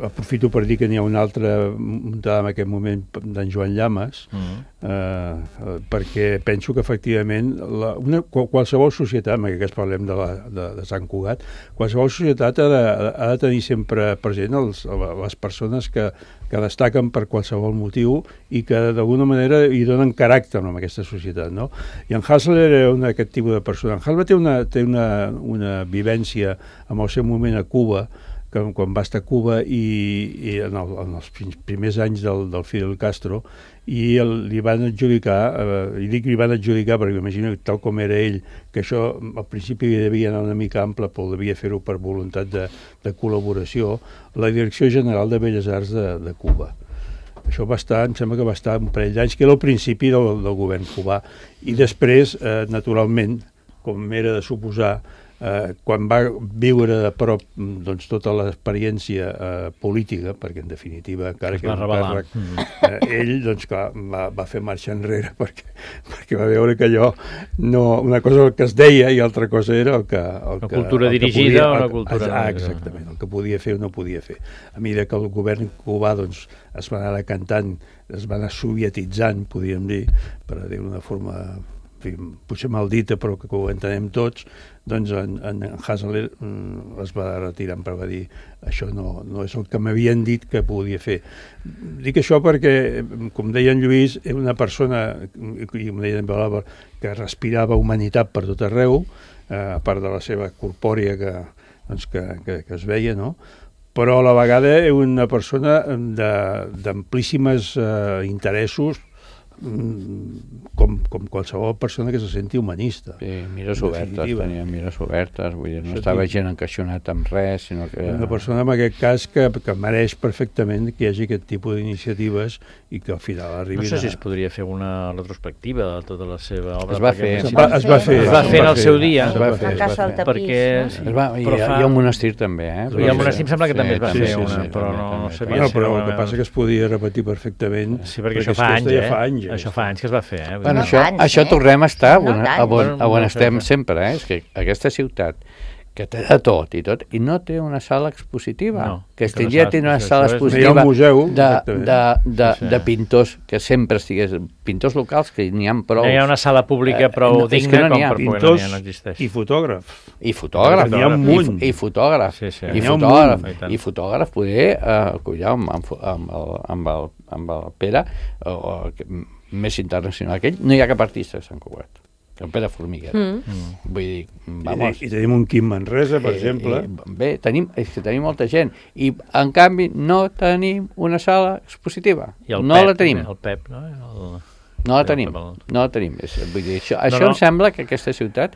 Speaker 3: Aprofito per dir que n'hi ha una altra muntada en aquest moment d'en Joan Llamas, mm. eh, perquè penso que efectivament la, una, qualsevol societat, en aquest cas parlem de, la, de, de Sant Cugat, qualsevol societat ha de, ha de tenir sempre present els, les persones que, que destaquen per qualsevol motiu i que d'alguna manera hi donen caràcter a aquesta societat, no? I en Hasler era un, aquest tipus de persona. En Hasler té una, té una, una vivència en el seu moment a Cuba, que quan va estar a Cuba i, i en, el, en els primers anys del, del Fidel Castro, i el, li van adjudicar, eh, i dic li van adjudicar perquè m'imagino tal com era ell, que això al principi devia anar una mica ample, però devia fer-ho per voluntat de, de col·laboració, la Direcció General de Belles Arts de, de Cuba. Això va estar, em sembla que va estar un parell d'anys, que era el principi del, del govern cubà. I després, eh, naturalment, com era de suposar, eh, quan va viure de prop doncs, tota l'experiència eh, política, perquè en definitiva, encara que era un càrrec, eh, ell doncs, clar, va, va fer marxa enrere perquè, perquè va veure que allò, no, una cosa que es deia i altra cosa era el que... El
Speaker 4: una
Speaker 3: que,
Speaker 4: cultura
Speaker 3: el que
Speaker 4: dirigida
Speaker 3: podia,
Speaker 4: o una cultura...
Speaker 3: Ah, exactament, el que podia fer o no podia fer. A mesura que el govern cubà doncs, es va anar decantant, es va anar sovietitzant, podríem dir, per dir d'una forma... potser mal dita, però que ho entenem tots, doncs en, en Hasler mm, es va retirar, però va dir això no, no és el que m'havien dit que podia fer. Dic això perquè, com deia en Lluís, era una persona, i com deia en Belàber, que respirava humanitat per tot arreu, eh, a part de la seva corpòria que, doncs, que, que, que es veia, no? Però a la vegada era una persona d'amplíssimes eh, interessos, com, com qualsevol persona que se senti humanista.
Speaker 6: Sí, mires obertes, tenia mires obertes, vull dir, no estava gent encaixonat amb res, sinó que...
Speaker 3: Una persona en aquest cas que, que mereix perfectament que hi hagi aquest tipus d'iniciatives i que al final arribi...
Speaker 4: No sé si es podria fer una retrospectiva de tota la seva obra.
Speaker 6: Es va fer.
Speaker 3: Es va, es va fer.
Speaker 4: Es va fer en el seu dia.
Speaker 6: Es va fer.
Speaker 4: Perquè...
Speaker 6: Es va, hi, ha, hi ha un monestir també, eh?
Speaker 4: Hi ha un monestir, em sembla que també es va fer una, però no sabia si...
Speaker 3: Però el que passa que es podia repetir perfectament.
Speaker 4: Sí, perquè això fa anys, eh? Això fa anys que es va fer, eh?
Speaker 6: Bueno, no això, anys, això eh? tornem a estar no on, a on, a on estem sempre, eh? És que aquesta ciutat que té de tot i tot, i no té una sala expositiva, no, que es tindria no una sala expositiva
Speaker 3: un museu,
Speaker 6: de, de, de, sí. de pintors que sempre estigués, pintors locals que n'hi ha prou.
Speaker 4: No hi ha una sala pública prou eh, digna no com per poder
Speaker 3: pintors
Speaker 4: no existeix.
Speaker 3: I fotògraf.
Speaker 6: I fotògraf.
Speaker 3: N'hi ha un munt.
Speaker 6: I, i fotògraf.
Speaker 4: Sí, sí.
Speaker 6: I fotògraf. I fotògraf poder, uh, collà, amb, amb, amb, el, amb, el, amb el Pere, uh, més internacional que ell, no hi ha cap artista de Sant Cugat. Que el Pere Formiguera. Mm. Vull dir, vamos...
Speaker 3: I, I tenim un Quim Manresa, per eh, exemple.
Speaker 6: Eh, bé, tenim, és que tenim molta gent. I, en canvi, no tenim una sala expositiva.
Speaker 4: I el
Speaker 6: no
Speaker 4: Pep,
Speaker 6: la tenim.
Speaker 4: El Pep, no? El...
Speaker 6: No la tenim. No la tenim. És, vull dir, això això no, no. em sembla que aquesta ciutat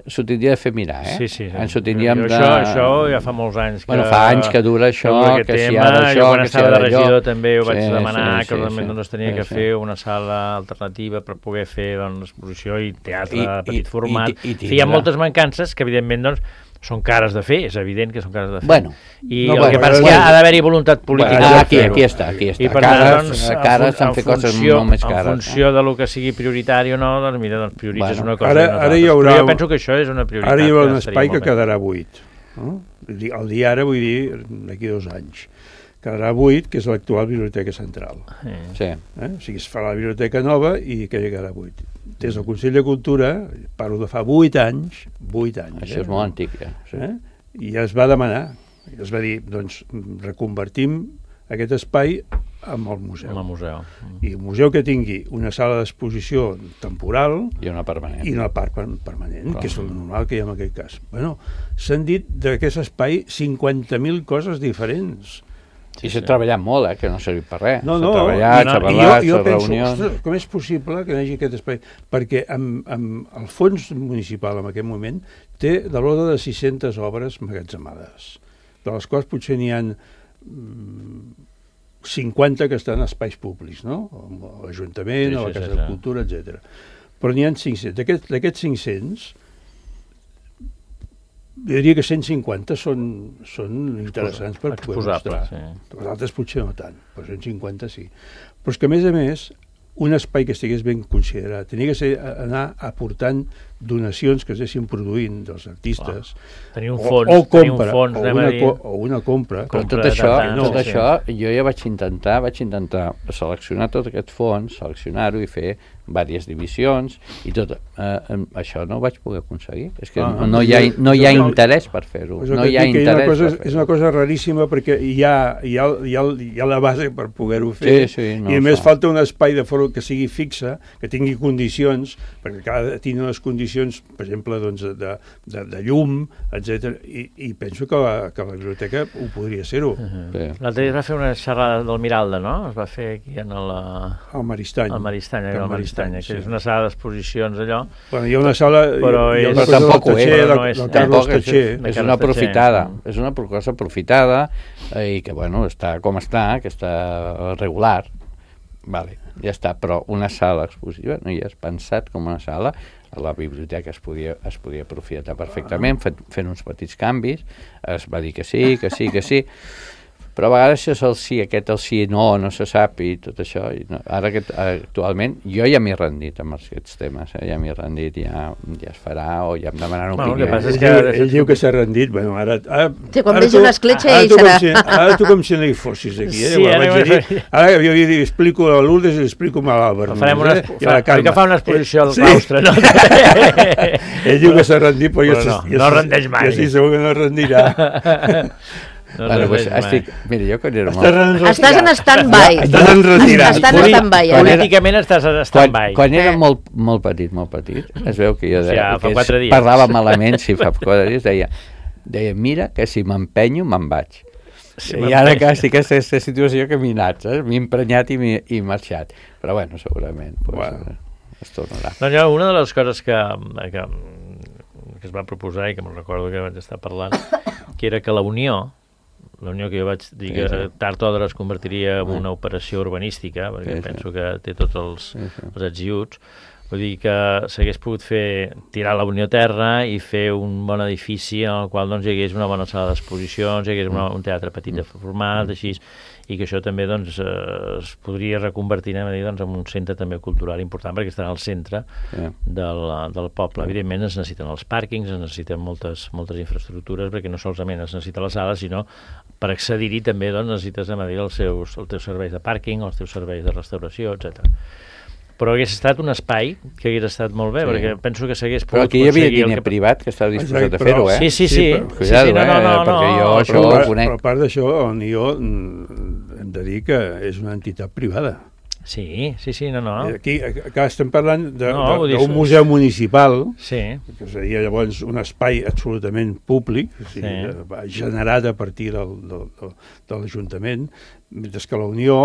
Speaker 6: s'ho tindria de fer mirar, eh?
Speaker 4: Sí, sí. sí.
Speaker 6: Ens ho tindríem de...
Speaker 4: Això, això ja fa molts anys que...
Speaker 6: Bueno, fa anys que dura això, que, que si ara això,
Speaker 4: jo quan
Speaker 6: que si
Speaker 4: estava
Speaker 6: ara
Speaker 4: de regidor
Speaker 6: allò...
Speaker 4: també ho vaig sí, demanar, sí, que realment
Speaker 6: sí,
Speaker 4: no es tenia
Speaker 6: sí,
Speaker 4: que
Speaker 6: sí.
Speaker 4: fer una sala alternativa per poder fer doncs, exposició i teatre
Speaker 6: I,
Speaker 4: de petit
Speaker 6: i,
Speaker 4: format.
Speaker 6: I, i, i
Speaker 4: hi ha moltes mancances que, evidentment, doncs, són cares de fer, és evident que són cares de fer.
Speaker 6: Bueno,
Speaker 4: I
Speaker 6: no,
Speaker 4: el
Speaker 6: bueno,
Speaker 4: que passa és
Speaker 6: bueno,
Speaker 4: que ha d'haver-hi voluntat política.
Speaker 6: Bueno, aquí, aquí està, aquí està.
Speaker 4: I per
Speaker 6: cares,
Speaker 4: tant, doncs,
Speaker 6: cares s'han fet coses molt més cares.
Speaker 4: En funció eh? de lo que sigui prioritari o no, doncs mira, doncs prioritzes bueno, una cosa
Speaker 3: ara,
Speaker 4: i una
Speaker 3: ara
Speaker 4: altra.
Speaker 3: haurà,
Speaker 4: Però jo penso que això és una prioritat.
Speaker 3: Ara hi haurà un espai que quedarà buit. No? El dia ara, vull dir, d'aquí dos anys. Quedarà buit, que és l'actual Biblioteca Central.
Speaker 6: Sí.
Speaker 3: Eh? O sigui, es farà la biblioteca nova i quedarà buit. des del Consell de Cultura, parlo de fa vuit anys, vuit anys.
Speaker 6: Això eh? és molt antic, ja. Sí.
Speaker 3: Eh? I es va demanar, es va dir, doncs, reconvertim aquest espai amb el museu.
Speaker 4: Amb el museu.
Speaker 3: I un museu que tingui una sala d'exposició temporal
Speaker 6: i una permanent.
Speaker 3: I una part permanent, Clar. que és el normal que hi ha en aquest cas. Bueno, s'han dit d'aquest espai cinquanta mil coses diferents.
Speaker 6: I s'ha sí. treballat molt, eh, que no ha servit per res.
Speaker 3: No, no,
Speaker 6: s'ha treballat, s'ha parlat, s'ha reunions...
Speaker 3: Ostres, com és possible que hi hagi aquest espai? Perquè amb, amb el fons municipal en aquest moment té de l'ordre de sis-centes obres magatzemades, de les quals potser n'hi ha cinquanta que estan en espais públics, no? A l'Ajuntament, sí, sí, a la Casa sí, sí. de Cultura, etcètera. Però n'hi ha cinc-cents. D'aquests D'aquest cinc-cents, jo diria que cent cinquanta són, són interessants per poder mostrar. Sí. Els altres potser no tant, però cent cinquanta sí. Però és que, a més a més, un espai que estigués ben considerat tenia que ser anar aportant donacions que es deixin produint dels artistes.
Speaker 4: Tenir un fons,
Speaker 3: o, o compra,
Speaker 4: un fons,
Speaker 3: o, una, co o una compra.
Speaker 6: Però tot això, no, tot sí. això jo ja vaig intentar, vaig intentar seleccionar tot aquest fons, seleccionar-ho i fer diverses divisions i tot. Eh, això no ho vaig poder aconseguir. És que ah, no, no, hi ha, no hi ha interès per fer-ho. No hi ha interès
Speaker 3: cosa,
Speaker 6: per fer-ho.
Speaker 3: És una cosa raríssima perquè hi ha, hi ha, hi ha, hi ha la base per poder-ho fer.
Speaker 6: Sí, sí, no
Speaker 3: i a més fa. falta un espai de fora que sigui fixe, que tingui condicions, perquè cada tingui unes condicions, per exemple, doncs, de, de, de llum, etcètera. I, i penso que la, que la biblioteca ho podria ser-ho.
Speaker 4: Uh-huh. L'altre dia es va fer una xerrada del Miralda, no? Es va fer aquí en el...
Speaker 3: Al Maristany.
Speaker 4: Al Maristany, al Maristany, que és una sala d'exposicions allò.
Speaker 3: Bueno, hi ha una sala...
Speaker 4: Però,
Speaker 3: hi ha
Speaker 6: però tampoc ho és.
Speaker 3: No és, tampoc és,
Speaker 6: és una aprofitada. És una cosa aprofitada i que, bueno, està com està, que està regular. Vale, ja està, però una sala expositiva no hi has pensat com una sala. A la biblioteca es podia, es podia aprofitar perfectament, fent, fent uns petits canvis. Es va dir que sí, que sí, que sí. Però a vegades això és el sí, aquest el sí, no, no se sap i tot això. I no, ara que actualment jo ja m'he rendit amb aquests temes, eh? ja m'he rendit, ja, ja es farà o ja em demanaran
Speaker 3: bueno,
Speaker 6: opinió.
Speaker 3: Ell, que ell, ell diu que s'ha rendit, bueno, ara... ara
Speaker 2: sí, quan vegi una escletxa ell serà...
Speaker 3: Si, ara tu com si no hi fossis aquí, eh?
Speaker 4: Sí, ara,
Speaker 3: dir, ara jo li explico a Lourdes i li explico a l'Àlvar.
Speaker 4: Farem una, eh? fa, que fa una exposició al
Speaker 3: sí.
Speaker 4: claustre, no?
Speaker 3: Ell diu que s'ha rendit, però, però
Speaker 4: jo, no, jo, no rendeix mai.
Speaker 3: Jo sí, segur que no rendirà.
Speaker 6: No bueno, pues, estic, mira, jo quan era
Speaker 2: molt... Estàs en stand-by.
Speaker 3: Estàs en retirat.
Speaker 2: Estàs en stand-by.
Speaker 4: Políticament estàs en stand-by.
Speaker 6: Quan, quan era molt, molt petit, molt petit, es veu que jo de,
Speaker 4: ja,
Speaker 6: que es, parlava malament, si fa quatre dies, deia, deia, mira que si m'empenyo me'n vaig. Sí, I ara que estic en aquesta situació que m'he anat, eh? m'he emprenyat i m'he marxat. Però bueno, segurament pues, bueno. es tornarà.
Speaker 4: No, ja, una de les coses que, que, que es va proposar i que me'n recordo que vaig estar parlant, que era que la Unió, la Unió que jo vaig dir que sí, sí. tard o d'hora es convertiria en una operació urbanística, perquè sí, penso sí. que té tots els, sí, sí. els ets i uts, vull dir que s'hagués pogut fer, tirar la Unió a terra i fer un bon edifici en el qual doncs, hi hagués una bona sala d'exposicions, hi hagués una, un teatre petit de format, així, i que això també doncs, eh, es podria reconvertir a dir, doncs, en un centre també cultural important, perquè estarà al centre yeah. del, del poble. Evidentment es necessiten els pàrquings, es necessiten moltes, moltes infraestructures, perquè no solament es necessita la sala, sinó per accedir-hi també doncs, necessites a dir, els, seus, els teus serveis de pàrquing, els teus serveis de restauració, etcètera. Però hagués estat un espai que hagués estat molt bé, sí. perquè penso que s'hagués pogut...
Speaker 6: Però aquí hi havia diner que... privat que estava disposat a fer-ho, eh?
Speaker 4: Sí, sí, sí.
Speaker 6: Però, cuidado, sí, sí, no, no, no,
Speaker 4: eh?
Speaker 6: Perquè jo
Speaker 3: no,
Speaker 6: això
Speaker 3: però,
Speaker 6: ho conec.
Speaker 3: Però a part d'això, el N I O hem de dir que és una entitat privada.
Speaker 4: Sí, sí, sí, no, no.
Speaker 3: Aquí, acá estem parlant d'un
Speaker 4: no,
Speaker 3: museu municipal,
Speaker 4: sí.
Speaker 3: que seria llavors un espai absolutament públic, o sigui, sí. generat a partir del, del, del, de l'Ajuntament, mentre que la Unió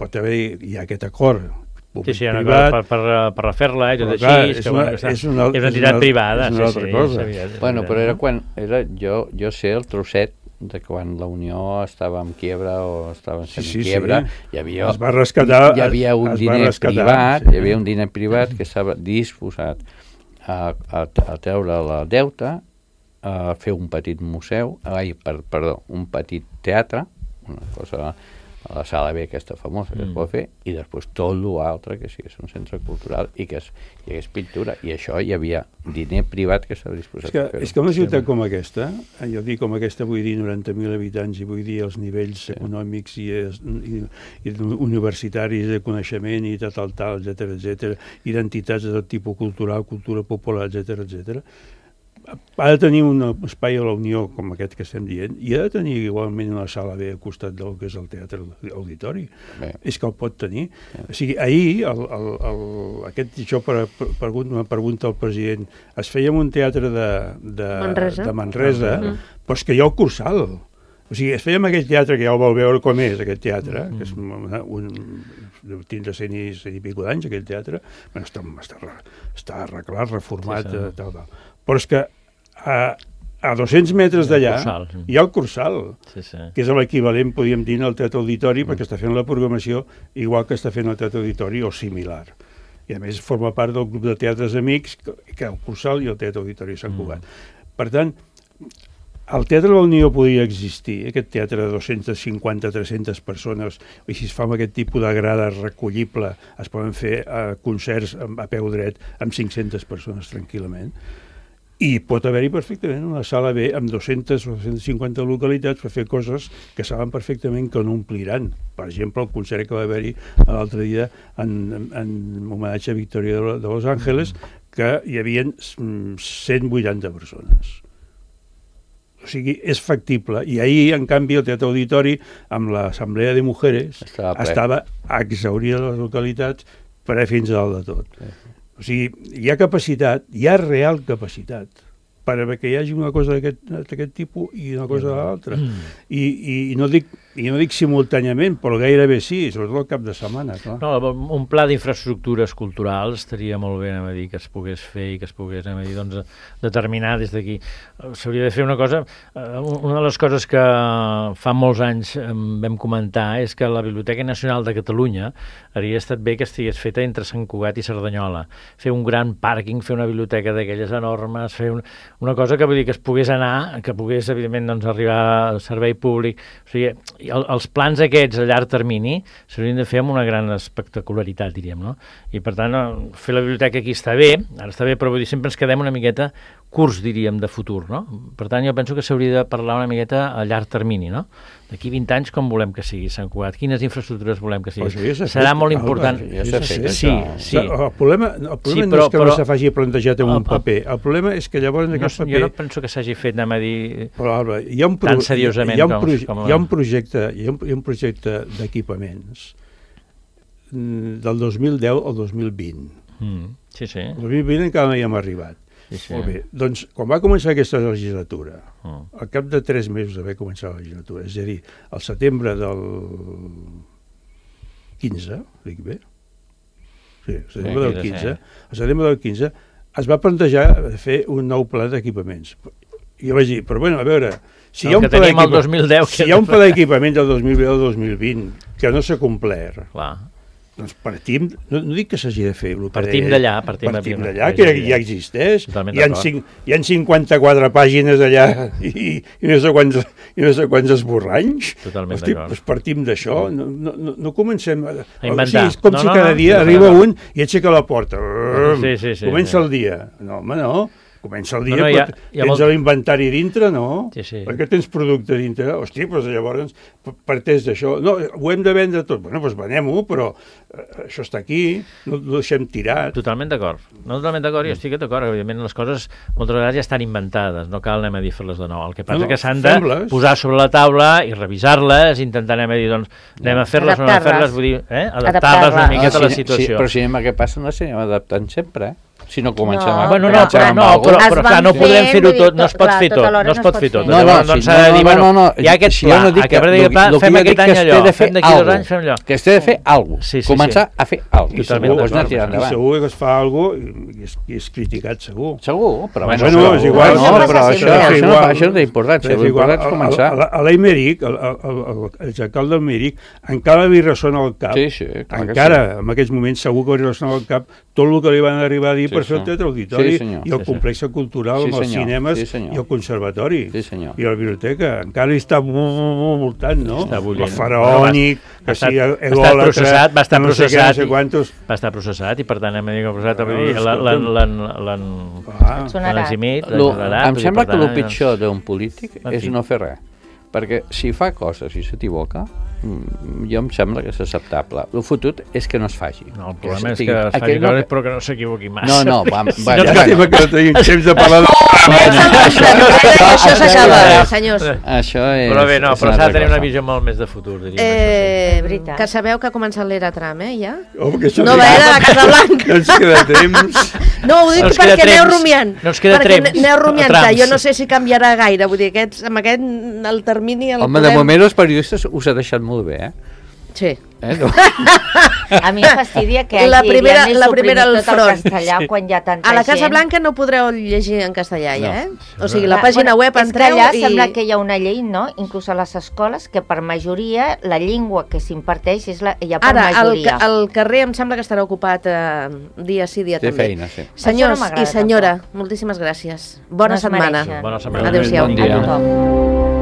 Speaker 3: pot haver, hi ha aquest acord
Speaker 4: sí, sí, privat, per, per, per refer-la, eh, tot
Speaker 3: clar,
Speaker 4: així,
Speaker 3: és,
Speaker 4: que,
Speaker 3: una,
Speaker 4: bueno,
Speaker 3: és, una,
Speaker 4: és una entitat
Speaker 3: una,
Speaker 4: privada.
Speaker 3: És una
Speaker 4: sí,
Speaker 3: altra
Speaker 4: sí,
Speaker 3: cosa.
Speaker 4: És evident,
Speaker 6: bueno,
Speaker 4: és
Speaker 6: però era quan, era, jo, jo sé el trosset de quan la Unió estava en quiebra o estava en
Speaker 3: sí, sí,
Speaker 6: quiebra,
Speaker 3: sí.
Speaker 6: hi havia,
Speaker 3: es va rescatar,
Speaker 6: hi havia un diner
Speaker 3: rescatar,
Speaker 6: privat,
Speaker 3: sí.
Speaker 6: hi havia un diner privat que estava disposat a, a, a treure la deuta, a fer un petit museu, ai, per, perdó, un petit teatre, una cosa a la sala B aquesta famosa que mm. es pot fer, i després tot l'altre que sí, és un centre cultural i que és, i és pintura, i això hi havia diner privat que s'ha disposat
Speaker 3: és que,
Speaker 6: a fer-ho.
Speaker 3: És que una ciutat com aquesta, jo dic com aquesta, vull dir noranta mil habitants, i vull dir els nivells sí. econòmics i, i, i universitaris de coneixement i tal, tal, tal, etcètera, etcètera, identitats de tot tipus cultural, cultura popular, etcètera, etcètera, ha de tenir un espai a la Unió com aquest que estem dient, i ha de tenir igualment una sala B al costat del que és el teatre auditori. Bé. És que el pot tenir. Bé. O sigui, ahir, el, el, el, aquest, això per, per, per una pregunta al president, es feia un teatre de, de Manresa, de Manresa uh -huh. però és que hi ha el Cursal. O sigui, es feia en aquell teatre que ja el vol veure com és, aquest teatre, uh -huh. que és un... tindre cent i, cent i pico d'anys, aquell teatre, bueno, està, està, està arreglat, reformat, sí, sí. tal, tal. Però és que a, a dos-cents metres d'allà hi ha el Cursal, sí, sí. que és l'equivalent, podríem dir, al Teatre Auditori, mm. perquè està fent la programació igual que està fent el Teatre Auditori o similar. I a més forma part del grup de teatres amics que, que el Cursal i el Teatre Auditori Sant Cugat. Mm. Per tant, el Teatre de la Unió podria existir, aquest teatre de dos-centes cinquanta a tres-centes persones, i si es fa amb aquest tipus de grada recollible, es poden fer uh, concerts a peu dret amb cinc-centes persones tranquil·lament. I pot haver-hi perfectament una sala B amb dos-centes o dos-centes cinquanta localitats per fer coses que saben perfectament que no ompliran. Per exemple, el concert que va haver-hi l'altre dia en, en, en homenatge a Victòria de, de Los Ángeles, que hi havia cent vuitanta persones. O sigui, és factible. I ahir, en canvi, el Teatre Auditori, amb l'Assemblea de Mujeres, estava, estava exhaurida de les localitats per a fins a dalt de tot. Sí. O sigui, hi ha capacitat, hi ha real capacitat perquè hi hagi una cosa d'aquest tipus i una cosa de l'altra. I, i, i, no dic, I no dic simultàniament, però gairebé sí, sobretot el cap de setmana. Clar.
Speaker 4: No, un pla d'infraestructures culturals estaria molt bé, anem a dir, que es pogués fer i que es pogués, anem a dir, doncs, determinar des d'aquí. S'hauria de fer una cosa, una de les coses que fa molts anys vam comentar és que la Biblioteca Nacional de Catalunya hauria estat bé que estigués feta entre Sant Cugat i Cerdanyola. Fer un gran pàrquing, fer una biblioteca d'aquelles enormes, fer un, una cosa que vull dir que es pogués anar, que pogués, evidentment, doncs, arribar al servei públic. O sigui, el, els plans aquests a llarg termini s'haurien de fer amb una gran espectacularitat, diríem, no? I, per tant, fer la biblioteca aquí està bé, ara està bé, però vull dir, sempre ens quedem una miqueta curts, diríem, de futur, no? Per tant, jo penso que s'hauria de parlar una miqueta a llarg termini, no? D'aquí vint anys, com volem que sigui Sant Cugat? Quines infraestructures volem que sigui?
Speaker 3: Ja
Speaker 4: serà molt important.
Speaker 3: Ja s'ha fet. Sí, sí. El problema, el problema sí, però, no és que però, no se faci plantejat en un paper. El problema és que llavors en aquest
Speaker 4: no,
Speaker 3: paper...
Speaker 4: Jo no penso que s'hagi fet, anem a dir,
Speaker 3: però, Alba, hi ha un pro...
Speaker 4: tan seriosament
Speaker 3: hi ha un, pro...
Speaker 4: com... com
Speaker 3: hi ha un projecte, hi ha un, hi ha un projecte d'equipaments del dos mil deu al dos mil vint.
Speaker 4: Mm, sí, sí.
Speaker 3: El dos mil vint encara no hi hem arribat. Sí, sí. Molt bé. Doncs, quan va començar aquesta legislatura, mm. al cap de tres mesos d'haver començat la legislatura, és a dir, al setembre del quinze, dic bé? Sí, al setembre del quinze, al setembre del quinze es va plantejar fer un nou pla d'equipaments. I jo vaig dir, però bueno, a veure, si hi ha un pla d'equipaments si hi ha un pla d'equipaments del dos mil deu al dos mil vint que no s'ha complert, clar, doncs partim, no, no dic que s'hagi de fer,
Speaker 4: partim d'allà, partim,
Speaker 3: partim d'allà, que ja, ja existeix, hi ha, cinc, hi ha cinquanta-quatre pàgines allà i, i, no sé quants, i no sé quants esborranys.
Speaker 4: Totalment
Speaker 3: Hosti, d'acord. Doncs partim d'això, no, no, no, no comencem a,
Speaker 4: a inventar.
Speaker 3: O sigui, com no, si no, cada no, dia no, arriba no, no. un i aixeca la porta.
Speaker 4: Sí, sí, sí,
Speaker 3: Comença
Speaker 4: sí.
Speaker 3: el dia. No, home, no. Comença el dia,
Speaker 4: no, no, ha,
Speaker 3: tens molt... l'inventari dintre, no?
Speaker 4: Sí, sí.
Speaker 3: Perquè tens producte dintre. Hosti, doncs llavors parteix d'això. No, ho hem de vendre tot. Bueno, doncs venem-ho, però eh, això està aquí, no ho deixem tirat.
Speaker 4: Totalment d'acord. No totalment d'acord, jo estic d'acord. Evidentment, les coses moltes vegades ja estan inventades, no cal anem a dir fer-les de nou. El que passa no, que s'han de posar sobre la taula i revisar-les, intentar anem a dir, doncs, anem a fer-les o no a fer-les, vull dir, eh? adaptar-les una miqueta a la situació.
Speaker 6: Sí, però si anem a què passa, no sé, anem adaptant sempre, eh? Si no comencem
Speaker 5: no,
Speaker 6: a...
Speaker 4: Bueno, no, però, no, però, però, però clar, no podrem fer-ho tot, no es pot fer tot, no es pot fer tot.
Speaker 6: No, no,
Speaker 4: doncs s'ha de dir, bueno, hi ha aquest pla, aquest pla, fem aquest any allò, fem d'aquí dos anys, fem allò.
Speaker 6: Que es té de fer alguna cosa, començar a fer alguna cosa.
Speaker 3: I segur que es fa alguna cosa i és criticat, segur.
Speaker 6: Segur, però
Speaker 3: bueno, és igual.
Speaker 6: No, però això no té importància, l'important és començar.
Speaker 3: A l'Eimeric, l'exalcalde del Mèric, encara li ressona al cap, encara, en aquests moments segur que li ressona al cap tot el que li van arribar a dir per per això el Teatre Auditori
Speaker 6: sí,
Speaker 3: i el complex cultural amb els cinemes i el conservatori i la biblioteca. Encara hi està voltant, no? El faraònic, que si egòlatra,
Speaker 4: va estar
Speaker 3: no sé què, no sé quantos...
Speaker 4: Va estar processat i, per tant, hem dit que l'han eximit.
Speaker 6: Em sembla que el pitjor d'un polític és no fer res. Perquè si fa coses i s'equivoca, jo em sembla que és acceptable. El fotut és que no es faci.
Speaker 4: No, el problema és que es faci coses però que no s'equivoqui massa.
Speaker 6: No, no, va...
Speaker 3: Llàstima que no tenim temps de parlar de...
Speaker 2: Això s'acaba, senyors.
Speaker 6: Això és...
Speaker 4: Però bé, no, però s'ha de tenir una visió molt més de futur, diríem.
Speaker 2: Que sabeu que ha començat l'era Trump, eh, ja?
Speaker 3: Nova
Speaker 2: era de Casablanca.
Speaker 3: No ens queda temps...
Speaker 2: No, ho dic perquè aneu rumiant.
Speaker 4: No ens queda temps.
Speaker 2: Perquè aneu rumiant, que jo no sé si canviarà gaire. Vull dir, amb aquest, el termini...
Speaker 6: Home, de moment els periodistes us ha deixat molt bé, eh?
Speaker 2: Sí.
Speaker 5: Eh, no? A mi em fastidia que
Speaker 2: la primera, la primera al
Speaker 5: front. Tot el castellà quan hi ha tanta gent.
Speaker 2: A la Casa Blanca no podreu llegir en castellà, ja, eh? No. O sigui, la pàgina web entreu
Speaker 5: allà
Speaker 2: i...
Speaker 5: sembla que hi ha una llei, no? Inclús a les escoles, que per majoria la llengua que s'imparteix és la, ja per
Speaker 2: Ara,
Speaker 5: majoria.
Speaker 2: Ara, el carrer em sembla que estarà ocupat eh, dia sí, dia
Speaker 6: Té
Speaker 2: també.
Speaker 6: feina, sí.
Speaker 2: Senyors no i senyora, tampoc. Moltíssimes gràcies. Bona
Speaker 5: no
Speaker 2: setmana.
Speaker 4: Bona setmana.
Speaker 2: Adéu-siau.
Speaker 6: Bon dia.
Speaker 5: A tothom.